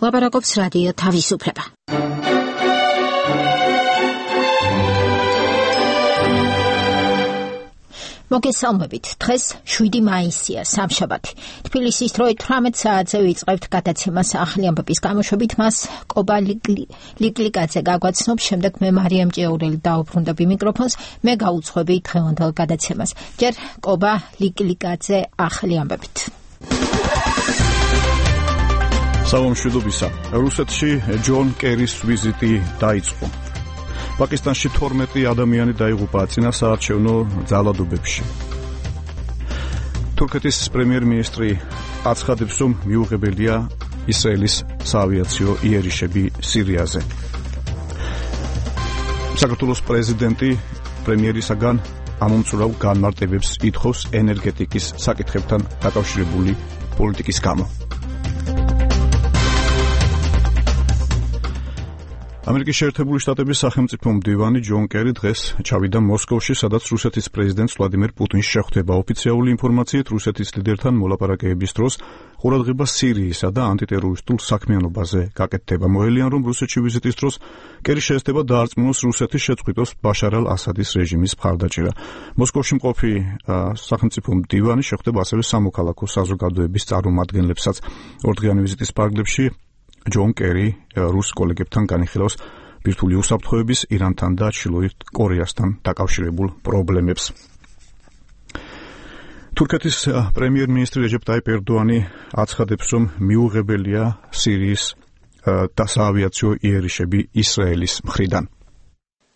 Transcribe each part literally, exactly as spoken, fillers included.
ლაპარაკობს რადიო თავისუფლება. მოგესალმებით. დღეს შვიდი მაისია, სამშაბათი. თბილისის დროით თვრამეტ საათზე ვიწყებთ გადაცემას ახალი ამბების გამოშვებით. მას კობა ლიკლიკაძე გაგვაცნობს, შემდეგ მე მარიამ ჭეურელი დაუბრუნდები მიკროფონს, მე გაუძღვები დღევანდელ გადაცემას. ჯერ კობა ლიკლიკაძე ახალი ამბებით. სალომშვიდობისა. რუსეთში ჯონ კერის ვიზიტი დაიწყო. პაკისტანში თორმეტი ადამიანი დაიღუპა წინასაარჩევნო ძალადობებში. თურქეთის პრემიერ-მინისტრი აცხადებს, რომ მიუღებელია ისრაელის საავიაციო იერიშები სირიაზე. საქართველოს პრეზიდენტი პრემიერისაგან ამომწურავ განმარტებებს ითხოვს ენერგეტიკის საკითხებთან დაკავშირებული პოლიტიკის გამო. ამერიკის შეერთებული შტატების სახელმწიფო მდივანი ჯონ კერი დღეს ჩავიდა მოსკოვში, სადაც რუსეთის პრეზიდენტს ვლადიმერ პუტინს შეხვდება. ოფიციალური ინფორმაციით, რუსეთის ლიდერთან მოლაპარაკებების დროს ყურადღება სირიისა და ანტიტერორისტულ საქმიანობაზე გაკეთდება. მოელიან, რომ რუსეთში ვიზიტის დროს კერი შეესწრება დაარწმუნოს რუსეთის შეწყვიტოს ბაშარ ალ-ასადის რეჟიმის მხარდაჭერა. მოსკოვში მყოფი სახელმწიფო მდივანი შეხვდება ასევე სამოქალაქო საზოგადოების წარმომადგენლებსაც. ორდღიანი ვიზიტის პარალელში ჯონ კერი რუს კოლეგებთან განიხილავს ბირთვული უსაფრთხოების, ირანთან და ჩრდილოეთ კორეასთან დაკავშირებულ პრობლემებს. თურქეთის პრემიერ-მინისტრი რეჯეპ ტაიპ ერდოანი აცხადებს, რომ მიუღებელია სირიის საავიაციო იერიშები ისრაელის მხრიდან.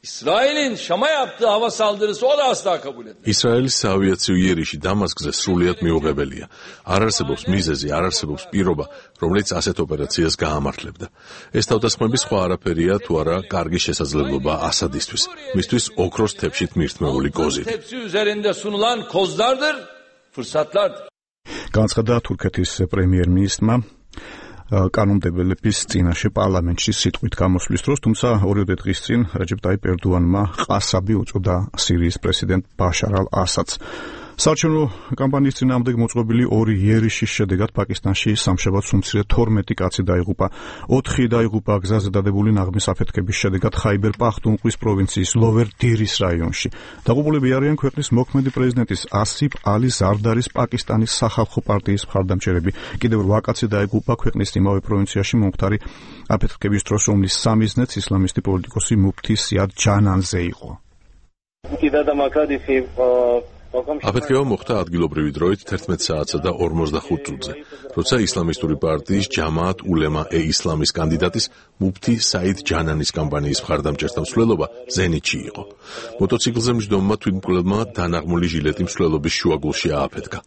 İsrail'in Şam'a yaptığı hava saldırısı o da asla kabul etmez. İsraelis საავიაციო იერიში დამასკზე სრულიად მიუღებელია. არ არსებობს მიზეზი, არ არსებობს პირობა, რომელიც ასეთ ოპერაციას გაამართლებდა. ეს თავდასხმები სხვა არაფერია თუ არა კარგი შესაძლებლობა ასადისთვის, მისთვის ოქროს თეფშით მირთმეული კოზი. Tepsi üzerinde sunulan kozlardır, fırsatlardır. განცხადა თურქეთის პრემიერ-მინისტრმა კანონმდებლების წინაშე პარლამენტში სიტყვით გამოსვლის დროს, თუმცა ორიოდე დღის წინ რეჯეპ ტაიპ ერდოანმა ყასაბი უწოდა სირიის პრეზიდენტ ბაშარ ალ-ასადს. საარჩევნო კამპანიის წინააღმდეგ მოწყობილი ორი იერიშის შედეგად პაკისტანში სამშაბათს უმცირე თორმეტი კაცი დაიღუპა. ოთხი დაიღუპა გზაზე დადებული ნაღმის აფეთქების შედეგად ხაიბერ პახტუნხვის პროვინციის ლოვერ დირის რაიონში. დაღუპულები არიან ქვეყნის მოქმედი პრეზიდენტის ასიფ ალი ზარდარის პაკისტანის სახალხო პარტიის მხარდამჭერები. კიდევ რვა კაცი დაიღუპა ქვეყნის იმავე პროვინციაში მომხდარი აფეთქების დროს, რომლის სამიზნეც ისლამისტი პოლიტიკოსი მუფთი სიად ჯანანზე იყო. აფეთქება მოხდა ადგილობრივი დროით თერთმეტ საათსა და ორმოცდახუთ წუთზე, როცა ისლამისტური პარტიის ჯამაათ ულემა ე ისლამის კანდიდატის მუფთი საიდ ჯანანის კამპანიის მხარდამჭერთა მსვლელობა ზენიტში იყო. მოტოციკლზე მჯდომმა თვითმკვლელმა დანაღმული ჟილეტი მსვლელობის შუაგულში ააფეთქა.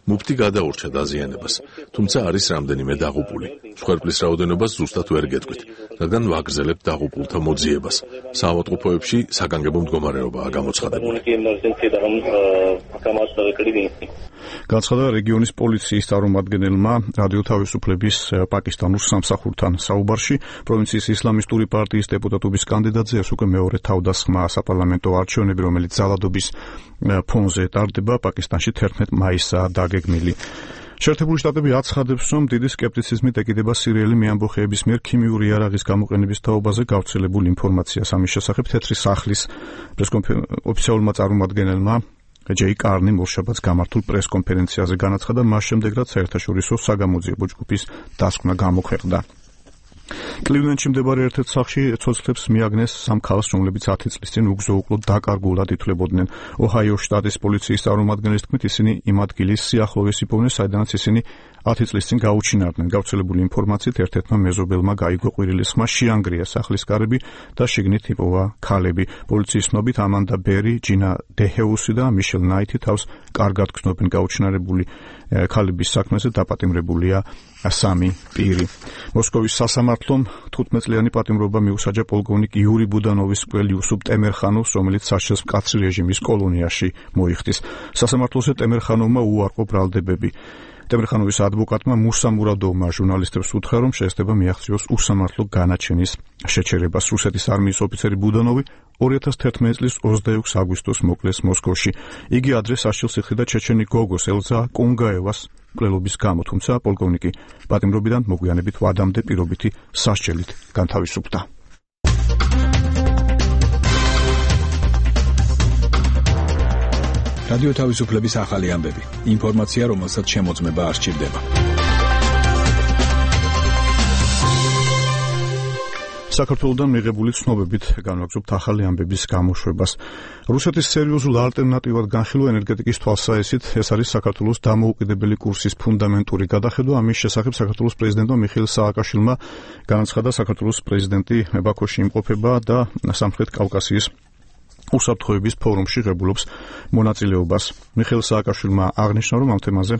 მუფთი გადაურჩა დაზიანებას, თუმცა არის რამდენიმე დაღუპული. მსხვერპლის რაოდენობას ზუსტად ვერ გეტყვით, რადგან ვაგრძელებთ დაღუპულთა მოძიებას. საავადმყოფოებში საგანგებო მდგომარეობაა გამოცხადებული. განცხადა რეგიონის პოლიციის წარმომადგენელმა რადიო თავისუფლების პაკისტანურ სამსახურთან საუბარში. პროვინციის ისლამისტური პარტიის დეპუტატობის კანდიდატზე ეს უკვე მეორე თავდასხმა საპარლამენტო არჩევნები, რომელიც ძალადობის ფონზე ტარდება. პაკისტანში თერთმეტ მაისაა დაგეგმილი. შეერთებული შტატები აცხადებს, რომ დიდი სკეპტიციზმით ეკიდება სირიელი მეამბოხეების მიერ ქიმიური იარაღის გამოყენების თაობაზე გავრცელებულ ინფორმაციას. ამის შესახებ თეთრი სახლის ოფიციალურმა წარმომადგენელმა ჯეი კარნი მორშაბათს გამართულ პრესკონფერენციაზე განაცხადა, მას შემდეგ რაც საერთაშორისო საგამოძიებო ჯგუფის დასკვნა გამოქვეყნდა. კლივლენდში მდებარე ერთ-ერთ სახლში ცოცხლებს მიაგნეს სამ ქალს, რომლებიც ათი წლის წინ უგზო-უკლოდ დაკარგულად ითვლებოდნენ. ოჰაიოს შტატის პოლიციის წარმომადგენლის თქმით, ისინი იმ ადგილის სიახლოვეს იპოვნეს, საიდანაც ისინი ათი წლის წინ გაუჩინარდნენ. გავრცელებული ინფორმაციით ერთ-ერთმა მეზობელმა გაიგო ყვირილის ხმა, შეანგრია სახლის კარები და შიგნით იპოვა ქალები. პოლიციის ცნობით ამანდა ბერი, ჯინა დეჰეუსი და მიშელ ნაითი თავს კარგად გრძნობენ. გაუჩინარებული ქალების საქმეზე დაპატიმრებულია სამი პირი. მოსკოვის სასამართლომ თხუთმეტ წლიანი პატიმრობა მიუსაჯა პოლკოვნიკ იური ბუდანოვის მკვლელ იუსუფ ტემერხანოვს, რომელიც საჩხერს მკაცრი რეჟიმის კოლონიაში მოიხდის. სასამართლოზე ტემერხანოვმა უარყო ბრალდებები. ტემირხანოვის ადვოკატმა მუსა მურადოვმა ჟურნალისტებს უთხრა, რომ შეესწება მიაღწიოს უსამართლო განაჩენის შეჩერებას. რუსეთის არმიის ოფიცერი ბუდანოვი ორი ათას თერთმეტი წლის ოცდაექვსი აგვისტოს მოკლეს მოსკოვში. იგი ადრე სასჯელს იხდიდა ჩეჩენი გოგოს ელზა კონგაევას მკვლელობის გამო, თუმცა პოლკოვნიკი პატიმრობიდან მოგვიანებით ვადამდე პირობითი სასჯელით განთავისუფლდა. რადიო თავისუფლების ახალი ამბები. ინფორმაცია, რომელსაც შემოწმება არ სჭირდება. საქართველოსთან მიღებული ცნობებით განვაგრძობთ ახალი ამბების გამოშვებას. რუსეთის სერიოზულ ალტერნატივად განხილვა ენერგეტიკის თვალსაჩინით ეს არის საქართველოს დამოუკიდებელი კურსის ფუნდამენტური გადახედვა. ამის შესახებ საქართველოს პრეზიდენტმა მიხეილ სააკაშვილმა განაცხადა, საქართველოს პრეზიდენტი ბაქოში იმყოფება და სამხრეთ კავკასიის უსაფრთხოების ფორუმში ღებულობს მონაწილეობას. მიხეილ სააკაშვილმა აღნიშნა, რომ ამ თემაზე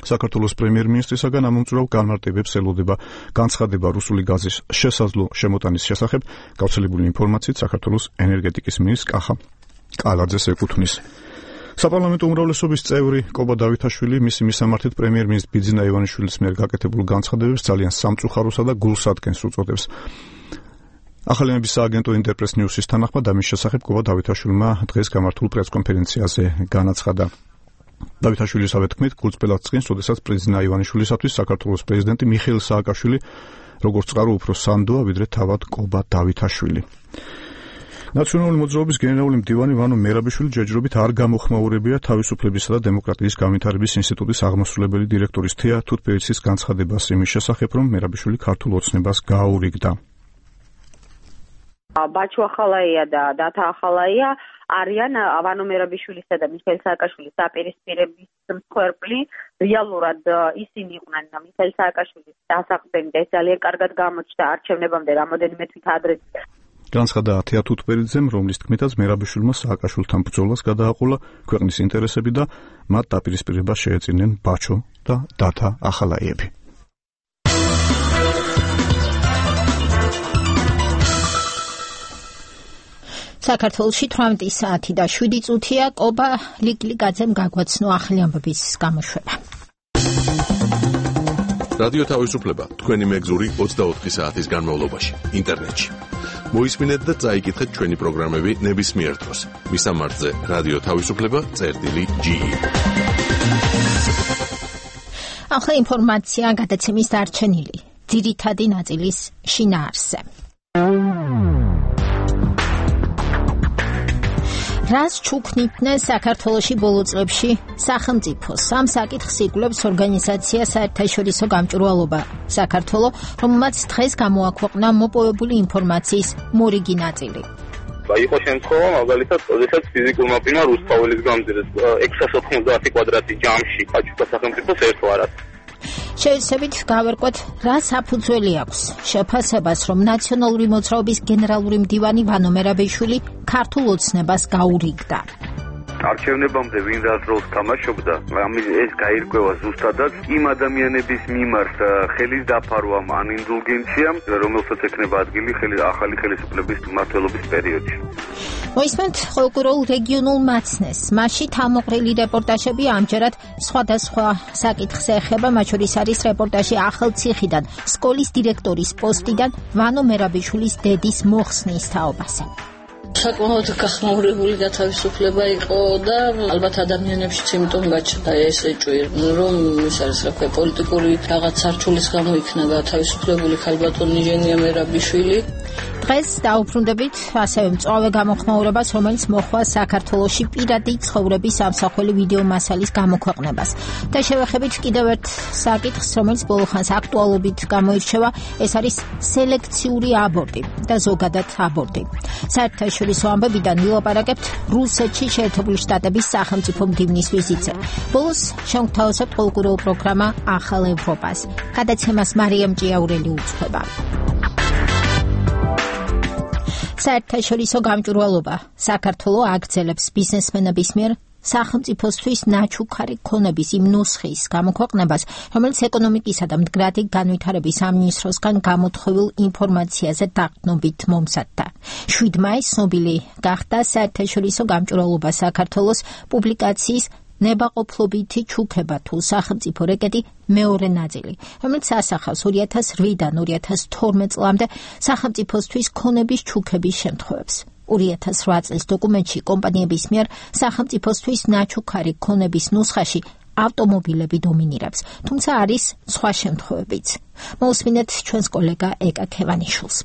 საქართველოს პრემიერ-მინისტრისაგან ამომწურავ განმარტებებს ელოდება განცხადება რუსული გაზის შესაძლო შემოტანის შესახებ. გავრცელებული ინფორმაციით საქართველოს ენერგეტიკის მინისტრ კახა კალაძეს ეკუთვნის. საპარლამენტო უმრავლესობის წევრი კობა დავითაშვილი მისი მისამართით პრემიერ-მინისტრ ბიძინა ივანიშვილის მიერ გაკეთებულ განცხადებებს ძალიან სამწუხაროსა და გულსადგენს უწოდებს. ახალიანების სააგენტო ინტერპრეს ნიუსის თანახმად ამის შესახებ კობა დავითაშვილმა დღეს გამართულ პრესკონფერენციაზე განაცხადა. დავითაშვილისავე თქმით, გულწრფელად წინს, როდესაც პრეზიდენტ ივანიშვილისათვის საქართველოს პრეზიდენტი მიხეილ სააკაშვილი როგორც წყარო უფრო სანდოა, ვიდრე თავად კობა დავითაშვილი. ნაციონალური მოძრაობის გენერალური მდივანი ვანო მერაბიშვილი ჯერჯერობით არ გამოხმაურებია თავისუფლებისა და დემოკრატიის განვითარების ინსტიტუტის აღმასრულებელი დირექტორის თეა თუთბერიცის განცხადებას იმის შესახებ, რომ მერაბიშვილი ქართულ ოცნებას გააურიგდა. ბაჩუ ახალაია და დათა ახალაია არიან ვანო მერაბიშვილისა და მიხეილ სააკაშვილის დაპირისპირების მსხვერპლი. რეალურად ისინი იყვნენ მიხეილ სააკაშვილის დასაყრდენი და ეს ძალიან კარგად გამოჩნდა არჩევნებამდე რამოდენიმე თვით ადრე. განცხადა თეა თუთბერიძემ, რომლის თქმითაც მერაბიშვილმა სააკაშვილთან ბრძოლას გადააყოლა ქვეყნის ინტერესები და მათ დაპირისპირებას შეეწინნენ ბაჩო და დათა ახალაიები. საქართველოში თვრამეტი საათი და შვიდი წუთია. კობა ლიკლიკაძემ გაგვაცნო ახალი ამბების გამოშვება. რადიო თავისუფლება თქვენი მეგზური ოცდაოთხი საათის განმავლობაში ინტერნეტში. მოისმინეთ და წაიკითხეთ ჩვენი პროგრამები ნებისმიერ დროს. მისამართზე რადიო თავისუფლება წერტილი ჯი. ახლა ინფორმაცია გადაცემის დარჩენილი ძირითადი ნაწილის შინაარსზე. რას ჩუქნიდნენ საქართველოში ბოლო წლებში სახელმწიფო? სამ საკითხს იკვლევს ორგანიზაცია საერთაშორისო გამჭვირვალობა საქართველო, რომელმაც დღეს გამოაქვეყნა მოპოვებული ინფორმაციის მორიგი ნაწილი. იყო შემთხვევა, მაგალითად, როდესაც ფიზიკურმა პირმა რუსთაველის გამზირეს ექვსას ოთხმოცდაათი კვადრატი ჯამში აჩუქა სახელმწიფოს ერთვარად. შევეცდებით გავერკვეთ, რა საფუძველი აქვს შეფასებას, რომ ნაციონალური მოძრაობის გენერალური მდივანი ვანო მერაბიშვილი ქართულ ოცნებას გაურიგდა. არჩევნებამდე ვინ რა როლს თამაშობდა, ამის ეს გაირკვევა ზუსტადაც იმ ადამიანების მიმართ ხელის დაფარვამ ან ინდულგენციამ, რომელსაც ექნება ადგილი ახალი ხელისუფლების მმართველობის პერიოდში. მოისმენთ ყოველკვირეულ რეგიონულ მაცნეს. მასში თავმოყრილი რეპორტაჟები ამჯერად სხვადასხვა საკითხს ეხება, მათ შორის არის რეპორტაჟი ახალციხიდან, სკოლის დირექტორის პოსტიდან ვანო მერაბიშვილის დედის მოხსნის თაობაზე. საკმაოდ გახმაურებული გათავისუფლება იყო და ალბათ ადამიანებშიც იმიტომ გაჩნდა ეს ეჭვი, რომ ის არის რა ქვია პოლიტიკური რაღაც სარჩულის გამო იქნა გათავისუფლებული ქალბატონი ჟენია მერაბიშვილი. დღეს დაუბრუნდებით ასევე მწვავე გამოხმაურებას, რომელიც მოხდა საქართველოში პირადი ცხოვრების ამსახველი ვიდეო მასალის გამოქვეყნებას. და შევეხებით კიდევ ერთ საკითხს, რომელიც ბოლო ხანს აქტუალობით გამოირჩევა, ეს არის სელექციური აბორტი და ზოგადად აბორტი. საერთაშორისო ამბებიდან ვილაპარაკებთ რუსეთში შეერთებული შტატების სახელმწიფო მდივნის ვიზიტზე. ბოლოს შევთავაზებთ ყოველკვირეულ პროგრამა ახალ ევროპას. გადაცემას მარიამ ჭიაურელი უძღვება. საერთაშორისო გამჭვირვალობა საქართველოს აგრძელებს ბიზნესმენების მიერ სახელმწიფოსთვის ნაჩუქარი ქონების იმ ნუსხის გამოქვეყნებას, რომელიც ეკონომიკისა და მდგრადი განვითარების სამინისტროსგან გამოთხოვილ ინფორმაციაზე დაყრდნობით მომზადდა. შვიდ მაისს ცნობილი გახდა საერთაშორისო გამჭვირვალობა საქართველოს პუბლიკაციის ნებაყოფლობითი ჩუქება თუ სახელმწიფო რეკეტი მეორე ნაწილი, რომელიც ასახავს ორი ათას რვიდან ორი ათას თორმეტ წლამდე სახელმწიფოსთვის ქონების ჩუქების შემთხვევებს. ორი ათას რვა წლის დოკუმენტში კომპანიების მიერ სახელმწიფოსთვის ნაჩუქარი ქონების ნუსხაში ავტომობილები დომინირებს, თუმცა არის სხვა შემთხვევებიც. მოусმინეთ ჩვენს კოლეგა ეკა ქევანიშვილს.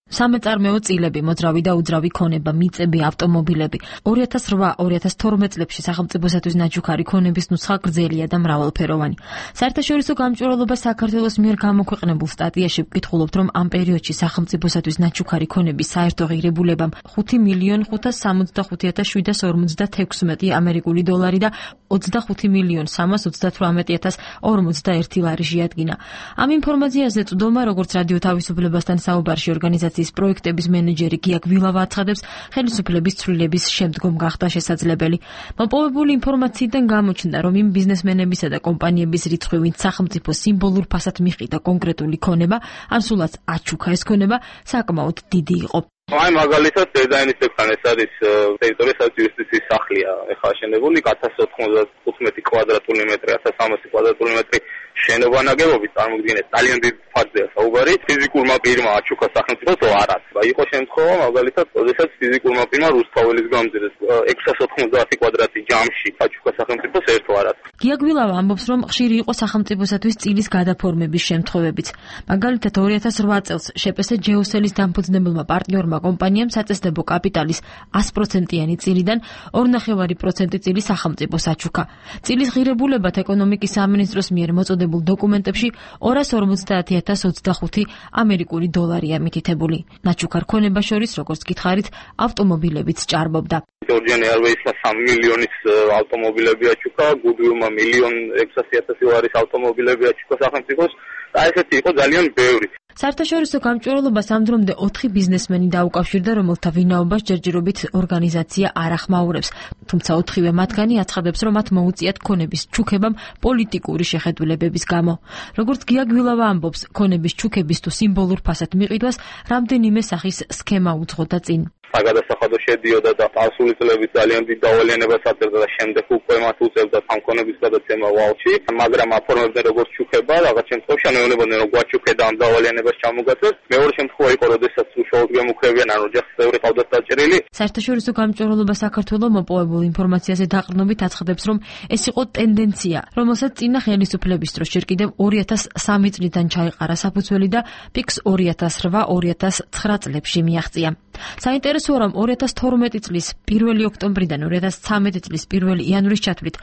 სამეწარმეო წილები, მოძრავი და უძრავი ქონება, მიწები, ავტომობილები. ორი ათას რვა ორი ათას თორმეტ წლებში სახელმწიფოსათვის ნაჩუქარი ქონების ნუსხა გრძელია და მრავალფეროვანი. საერთაშორისო გამჭვირვალობა საქართველოს მიერ გამოქვეყნებულ სტატიაში ვკითხულობთ, რომ ამ პერიოდში სახელმწიფოსათვის ნაჩუქარი ქონების საერთო ღირებულებამ ხუთი მილიონ ხუთას სამოცდახუთი ათას შვიდას ორმოცდათექვსმეტი ამერიკული დოლარი და ოცდახუთი მილიონ სამას ოცდათვრამეტი ათას ორმოცდაერთი ლარი შეადგინა. ამ ინფორმაციაზე წვდომა, როგორც რადიო თავისუფლებასთან საუბარში ორგანიზაცია პროექტების მენეჯერი გია გვილავა აცხადებს, ხელისუფლების ცვლილების შემდგომ გახდა შესაძლებელი. მოპოვებული ინფორმაციიდან გამოჩნდა, რომ იმ ბიზნესმენებისა და კომპანიების რიცხვი, ვინც სახელმწიფო სიმბოლურ ფასად მიყიდა კონკრეტული ქონება, ან სულაც აჩუქა ეს ქონება, საკმაოდ დიდი იყო. აი მაგალითად დიზაინის ექრან ეს არის ტერიტორიასაც იუსტიციის სახლია ეხლა აშენებული ათას ოთხმოცდათხუთმეტი კვადრატული მეტრი ათას სამასი კვადრატული მეტრი შენობა ნაგებობით წარმოგვიდგინეთ ძალიან დიდ ფაქტია საუბარი ფიზიკურმა პირმა აჩუქა სახელმწიფოს არაც იყო შემთხვევა მაგალითად როდესაც ფიზიკურმა პირმა რუსთაველის გამზირეს ექვსას ოთხმოცდაათი კვადრატი ჯამში აჩუქა სახელმწიფოს ერთო არაც. გია გვილავა ამბობს, რომ ხშირი იყო სახელმწიფოსათვის წილის გადაფორმების შემთხვევებიც. მაგალითად ორი ათას რვა წელს შეპესე ჯეოსელის დამფუძნებელმა პარტნიორმა კომპანიამ საწესდებო კაპიტალის ას პროცენტიანი წილიდან ორნახევარი პროცენტი წილი სახელმწიფოს აჩუქა. წილის ღირებულებად ეკონომიკის სამინისტროს მიერ მოწოდებულ დოკუმენტებში ორას ორმოცდაათი ათას ოცდახუთი ამერიკული დოლარია მითითებული. ნაჩუქარ ქონებას შორის, როგორც გითხარით, ავტომობილებიც ჭარბობდა. ჯორჯიან ერვეისმა სამი მილიონის ავტომობილები აჩუქა, გუდვილმა მილიონ ექვსასი ათასი ლარის ავტომობილები აჩუქა სახელმწიფოს. და ესეთი იყო ძალიან ბევრი. საერთაშორისო გამჭვირვალობას ამ დრომდე ოთხი ბიზნესმენი დაუკავშირდა, რომელთა ვინაობას ჯერჯერობით ორგანიზაცია არ ახმაურებს. თუმცა ოთხივე მათგანი აცხადებს, რომ მათ მოუწიათ ქონების ჩუქებამ პოლიტიკური შეხედულებების გამო. როგორც გია გვილავა ამბობს, ქონების ჩუქების თუ სიმბოლურ ფასად მიყიდვას რამდენიმე სახის სქემა უძღოდა წინ. საგადასახადო შედიოდა და პასული წლების ძალიან დიდ დავალიანებას აწერდა და შემდეგ უკვე მათ უწევდა სამქონების გადაცემა ვალში, მაგრამ აფორმებდნენ როგორც ჩუქება, რაღაც შემთხვევაში ანეონებდნენ რომ გვაჩუქდა ამ დავალიანებას ჩამოგაცეს. მეორე შემთხვევა იყო, როდესაც უშუალოდ გემუქრებიან, ან ოჯახის წევრი ყავდათ დაჭერილი. საერთაშორისო გამჭვირვალობა საქართველოს მოპოვებულ ინფორმაციაზე დაყრდნობით აცხადებს, რომ ეს იყო ტენდენცია, რომელსაც წინა ხელისუფლების დროს ჯერ კიდევ ორი ათას სამი წლიდან ჩაეყარა საფუძველი და პიკს ორი ათას რვა ორი ათას ცხრა წლებში მიაღწია. საინტერესოა, რომ ორი ათას თორმეტი წლის პირველი ოქტომბრიდან ორი ათას ცხრამეტი წლის პირველი იანვრის ჩათვლით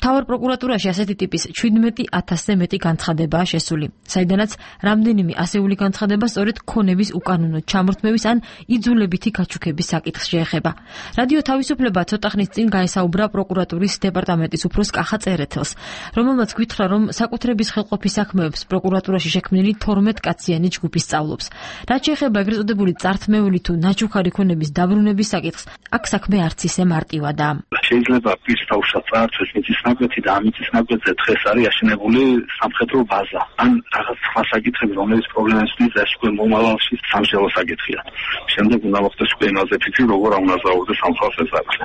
მთავარ პროკურატურაში ასეთი ტიპის შვიდმეტი ათასზე მეტი განცხადებაა შესული, საიდანაც რამდენიმე ასეული განცხადება სწორედ ქონების უკანონო ჩამორთმევის ან იძულებითი გაჩუქების საკითხს შეეხება. რადიო თავისუფლება ცოტა ხნის წინ გაესაუბრა პროკურატურის დეპარტამენტის უფროს კახა წერეთელს, რომელმაც გითხრა, რომ საკუთრების ხელყოფის საქმეებს პროკურატურაში შექმნილი თორმეტ კაციანი ჯგუფი სწავლობს. რაც შეეხება ეგრეთ წოდებული წართმეული თუ ნაჩუქარი ქონების დაბრუნების საკითხს, აქ საქმე არც ისე მარტივადაა. შეიძლება პირს თავშად წაართვეს მიწის ნაკვეთი და ამ მიწის ნაკვეთზე დღეს არის აშენებული სამხედრო ბაზა. ან რაღაც სხვა საკითხები, რომელიც პრობლემებს ნიშნავს, ეს უკვე მომავალში სამშობლო საკითხია. შემდეგ უნდა მოხდეს უკვე იმაზე ფიქრი, როგორ უნდა ზაურდეს სამხალხო საკითხი.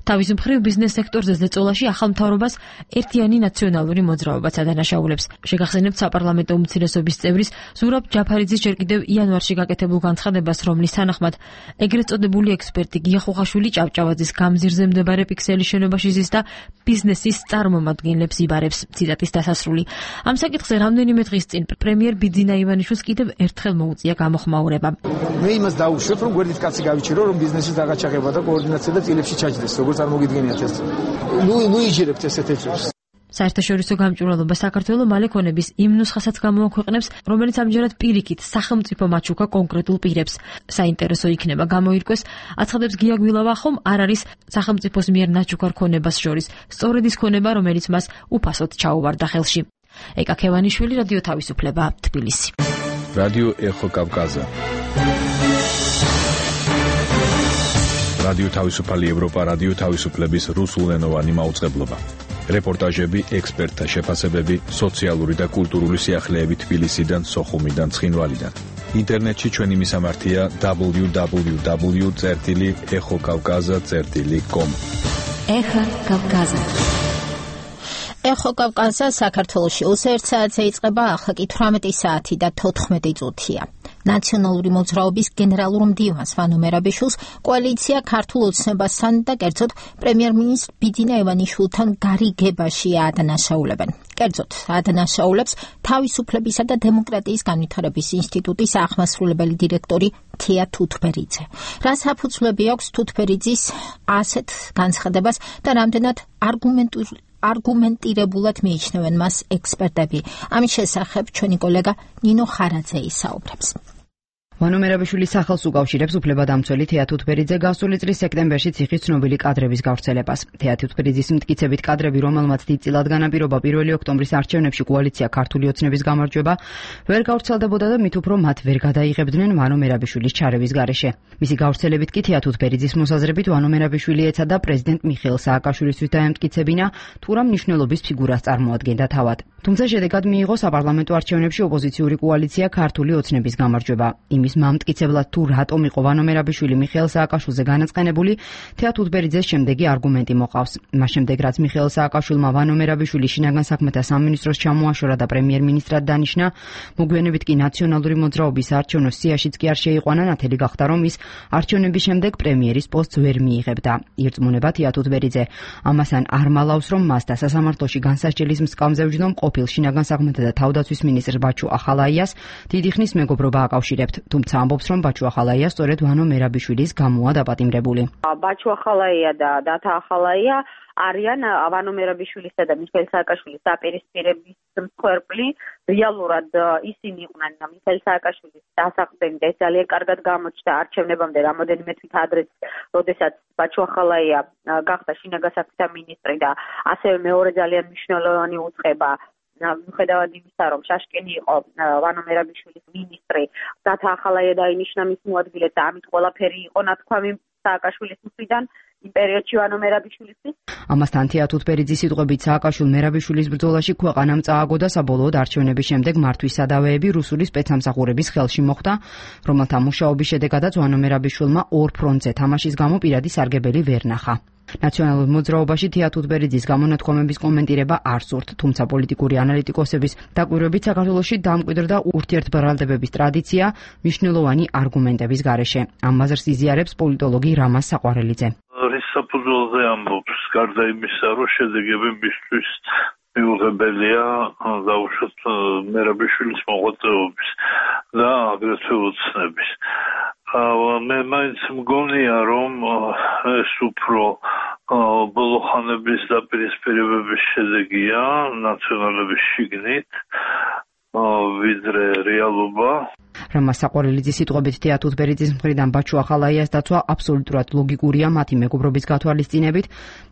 თავის მხრივ ბიზნეს სექტორზე ზეწოლაში ახალ მთავრობას ერთიანი ნაციონალური მოძრაობაც ადანაშაულებს. შეგახსენებთ საპარლამენტო უმცირესობის წევრის ზურაბ ჯაფარიძის ჯერ კიდევ იანვარში გაკეთებულ განცხადებას, რომლის თანახმად ეგრეთ წოდებული ექსპერტი გია ხუხაშვილი ჭავჭავაძის გამზირზე მდებარე პიქსელის შენობაში ზის და ბიზნესის წარმომადგენლებს იბარებს. ციტატის დასასრული. ამ საკითხზე რამდენიმე დღის წინ პრემიერ ბიძინა ივანიშვილს კიდევ ერთხელ მოუწია გამოხმაურება. მე იმას დაუშვებ, რომ გვერდით კაცი გავიჩირო, რომ ბიზნესის დაღაჩაღება და კოორდინაცია და წილებში ჩაჯდეს, როგორც არ მოგიდგენიათ ეს. ნუ ნუ იჯერებთ ესეთ ეჭვს. საერთაშორისო გამჭვირვალობა საქართველოს მალე ქონების იმ ნუსხასაც გამოაქვეყნებს, რომელიც ამჯერად პირიქით სახელმწიფო მაჩუქა კონკრეტულ პირებს. საინტერესო იქნება გამოირკვეს, აცხადებს გია გვილავა, ხომ არ არის სახელმწიფოს მიერ ნაჩუქარ ქონებას შორის სწორედ ის ქონება, რომელიც მას უფასოდ ჩაუვარდა ხელში. ეკა ქევანიშვილი, რადიო თავისუფლება, თბილისი. რადიო ეხო კავკაზა. რადიო თავისუფალი ევროპა, რადიო თავისუფლების რუსულენოვანი მაუწყებლობა. რეპორტაჟები, ექსპერტთა შეფასებები, სოციალური და კულტურული სიახლეები თბილისიდან, სოხუმიდან, ცხინვალიდან. ინტერნეტში ჩვენი მისამართია დაბლიუ დაბლიუ დაბლიუ წერტილი ეხო კავკაზა წერტილი კომ. ეხა კავკაზა. ეხო კავკასია საქართველოში ოცდაერთ საათზე იწყება, ახლა კი თვრამეტი საათი და თოთხმეტი წუთია. ნაციონალური მოძრაობის გენერალურ მდივანს ვანო მერაბიშვილს კოალიცია ქართულ ოცნებასთან და კერძოდ პრემიერ-მინისტრ ბიძინა ივანიშვილთან გარიგებაში აადანაშაულებენ. კერძოდ აადანაშაულებს თავისუფლებისა და დემოკრატიის განვითარების ინსტიტუტის აღმასრულებელი დირექტორი თია თუთბერიძე. რა საფუძვლები აქვს თუთბერიძის ასეთ განცხადებას და რამდენად არგუმენტური არგუმენტირებულად მიიჩნევენ მას ექსპერტები. ამის შესახებ ჩვენი კოლეგა ნინო ხარაძე ისაუბრებს. ვანო მერაბიშვილის სახელს უკავშირებს უფლებადამცველი თეა თუთბერიძე გასული წლის სექტემბერში ციხის ცნობილი კადრების გავრცელებას. თეა თუთბერიძის მტკიცებით კადრები, რომელმაც დიდწილად განაპირობა პირველი ოქტომბრის არჩევნებში კოალიცია ქართული ოცნების გამარჯვება, ვერ გავრცელდებოდა და მით უფრო მათ ვერ გადაიღებდნენ ვანო მერაბიშვილის ჩარევის გარეშე. მისი გავრცელებით კი თეა თუთბერიძის მოსაზრებით ვანო მერაბიშვილი ეცადა პრეზიდენტ მიხეილ სააკაშვილისთვის დაემტკიცებინა, თუ რა მნიშვნელობის ფიგურას წარმოადგენდა თავად. თუმცა შედეგად მიიღო საპარლამენტო არჩევნებში ოპოზიციური კოალიცია ქართული ოცნების გამარჯვება. იმის მამტკიცებლად თუ რატომ იყო ვანო მერაბიშვილი მიხეილ სააკაშვილზე განაწყენებული, თეა თუთბერიძეს შემდეგი არგუმენტი მოყავს. მას შემდეგ, რაც მიხეილ სააკაშვილმა ვანო მერაბიშვილი შინაგან საქმეთა სამინისტროს ჩამოაშორა და პრემიერ-მინისტრად დანიშნა, მოგვიანებით კი ნაციონალური მოძრაობის საარჩევნო სიაშიც კი არ შეიყვანა, ნათელი გახდა, რომ ის არჩევნების შემდეგ პრემიერის პოსტს ვერ მიიღებდა. ირწმუნება თეა თუთბერიძე ამასთან არ მალავს, რომ მას და სასამართლოში განსასჯელის მსკამზე ვჯდომ ყოფილ შინაგან საქმეთა და თავდაცვის მინისტრ ბაჩუ ახალაიას დიდი ხნის მეგობრობა აკავშირებთ. თუმცა ამბობს, რომ ბაჩუ ახალაია სწორედ ვანო მერაბიშვილის გამოა დაპატიმრებული. ბაჩუ ახალაია და დათა ახალაია არიან ვანო მერაბიშვილისა და მიხეილ სააკაშვილის დაპირისპირების მსხვერპლი. რეალურად ისინი იყვნენ მიხეილ სააკაშვილის დასაყრდენი და ეს ძალიან კარგად გამოჩნდა არჩევნებამდე რამოდენიმე თვით ადრე, როდესაც ბაჩუ ახალაია გახდა შინაგან საქმეთა მინისტრი და ასევე მეორე ძალიან მნიშვნელოვანი უწყება მიუხედავად იმისა, რომ შაშკენი იყო ვანო მერაბიშვილის მინისტრი, დათა ახალაია დაინიშნა მის მოადგილედ და ამით ყველაფერი იყო ნათქვამი სააკაშვილის მხრიდან იმ პერიოდში ვანო მერაბიშვილისთვის. ამასთან თეა თუთბერიძის სიტყვებით სააკაშვილ მერაბიშვილის ბრძოლაში ქვეყანამ წააგო და საბოლოოდ არჩევნების შემდეგ მართვის სადავეები რუსული სპეცსამსახურების ხელში მოხვდა, რომელთა მუშაობის შედეგადაც ვანო მერაბიშვილმა ორ ფრონტზე თამაშის გამო პირადი სარგებელი ვერ ნახა. ნაციონალურ მოძრაობაში თეა თუთბერიძის გამონათქვამების კომენტირება არ სურთ, თუმცა პოლიტიკური ანალიტიკოსების დაკვირვებით საქართველოში დამკვიდრდა ურთიერთბრალდებების ტრადიცია მნიშვნელოვანი არგუმენტების გარეშე. ამ აზრს იზიარებს პოლიტოლოგი რამაზ საყვარელიძე. რის საფუძველზე ამბობს, გარდა იმისა, რომ შედეგები მისთვის მიუღებელია დაუშვათ მერაბიშვილის მოღვაწეობის და აგრეთვე ოცნების. მე მაინც მგონია, რომ ეს უფრო ბოლო ხანების დაპირისპირებების შედეგია ნაციონალების შიგნით ვიდრე რეალობა. რამაზ საყვარელიძის სიტყვებით თეა თუთბერიძის მხრიდან ბაჩუ ახალაიას დაცვა აბსოლუტურად ლოგიკურია მათი მეგობრობის გათვალისწინებით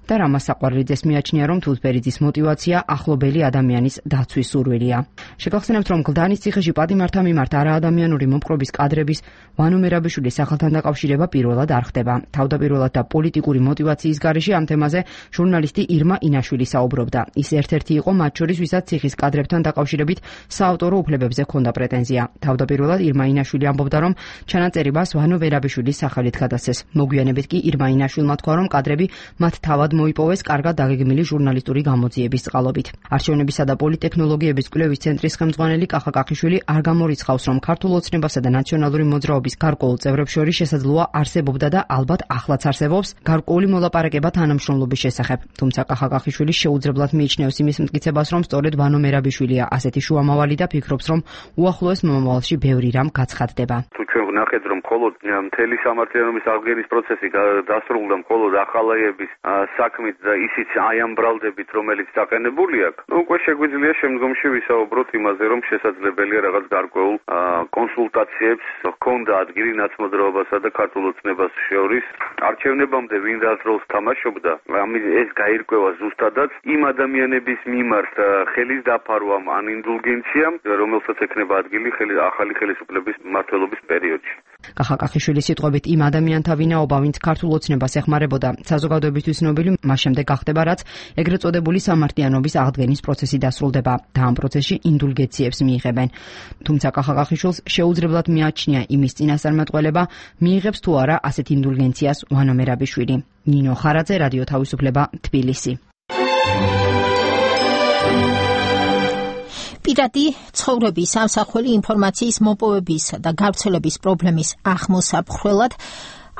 და რამაზ საყვარელიძეს მიაჩნია, რომ თუთბერიძის мотиваცია ახლობელი ადამიანის დაცვის სურვილია. შეგახსენებთ, რომ გლდანის ციხეში პატიმართა მიმართ არაადამიანური მომპყრობის კადრების ვანო მერაბიშვილის სახელთან დაკავშირება პირველად არ ხდება. თავდაპირველად და პოლიტიკური мотиваციის გარეშე ამ თემაზე ჟურნალისტი ირმა ინაშვილი საუბრობდა. ის ერთ-ერთი იყო მათ შორის, ვისაც ციხის კადრებთან დაკავშირებით საავტორო უფლებებზე ჰქონდა პრეტენზია. თავდაპირველად ირმა ინაშვილი ამბობდა, რომ ჩანაწერებას ვანო მერაბიშვილის სახელით გადასცეს. მოგვიანებით კი ირმა ინაშვილმა თქვა, რომ კადრები მათ თავად მოიპოვეს კარგად დაგეგმილი ჟურნალისტური გამოძიების წყალობით. არჩევნებისა და პოლიტექნოლოგიების კვლევის ცენტრის ხელმძღვანელი კახა კახიშვილი არ გამორიცხავს, რომ ქართულ ოცნებასა და ნაციონალური მოძრაობის გარკვეულ წევრებს შორის შესაძლოა არსებობდა და ალბათ ახლაც არსებობს გარკვეული მოლაპარაკება თანამშრომლობის შესახებ. თუმცა კახა კახიშვილი შეუძლებლად მიიჩნევს იმის მტკიცებას, რომ სწორედ ვანო მერაბიშვილია ასეთი შუამავალი და ფიქრობს, რომ უახლოეს მომავალში ბევრი რამ გაცხადდება. თუ ჩვენ ვნახეთ, რომ მხოლოდ მთელი სამართლიანობის აღდგენის პროცესი დასრულდა მხოლოდ ახალაიების საქმით და ისიც აი ამ ბრალდებით, რომელიც დაყენებული აქვს, ნუ უკვე შეგვიძლია შემდგომში ვისაუბროთ იმაზე, რომ შესაძლებელია რაღაც გარკვეულ კონსულტაციებს ჰქონდა ადგილი ნაცმოძრაობასა და ქართულ ოცნებას შორის. არჩევნებამდე ვინ რა როლს თამაშობდა, ამის ეს გაირკვევა ზუსტადაც იმ ადამიანების მიმართ ხელის დაფარვამ ან ინდულგენციამ, რომელსაც ექნება ადგილი ახალი ხელისუფლების მმართველობის პერიოდში. კახა კახიშვილის სიტყვებით იმ ადამიანთა ვინაობა, ვინც ქართულ ოცნებას ეხმარებოდა, საზოგადოებისთვის ცნობილი მას შემდეგ გახდება, რაც ეგრეთ წოდებული სამართლიანობის აღდგენის პროცესი დასრულდება და ამ პროცესში ინდულგენციებს მიიღებენ. თუმცა კახა კახიშვილს შეუძლებლად მიაჩნია იმის წინასწარმეტყველება, მიიღებს თუ არა ასეთ ინდულგენციას ვანო მერაბიშვილი. ნინო ხარაძე, რადიო თავისუფლება, თბილისი. პირადი ცხოვრების ამსახველი ინფორმაციის მოპოვებისა და გავრცელების პრობლემის აღმოსაფხვრელად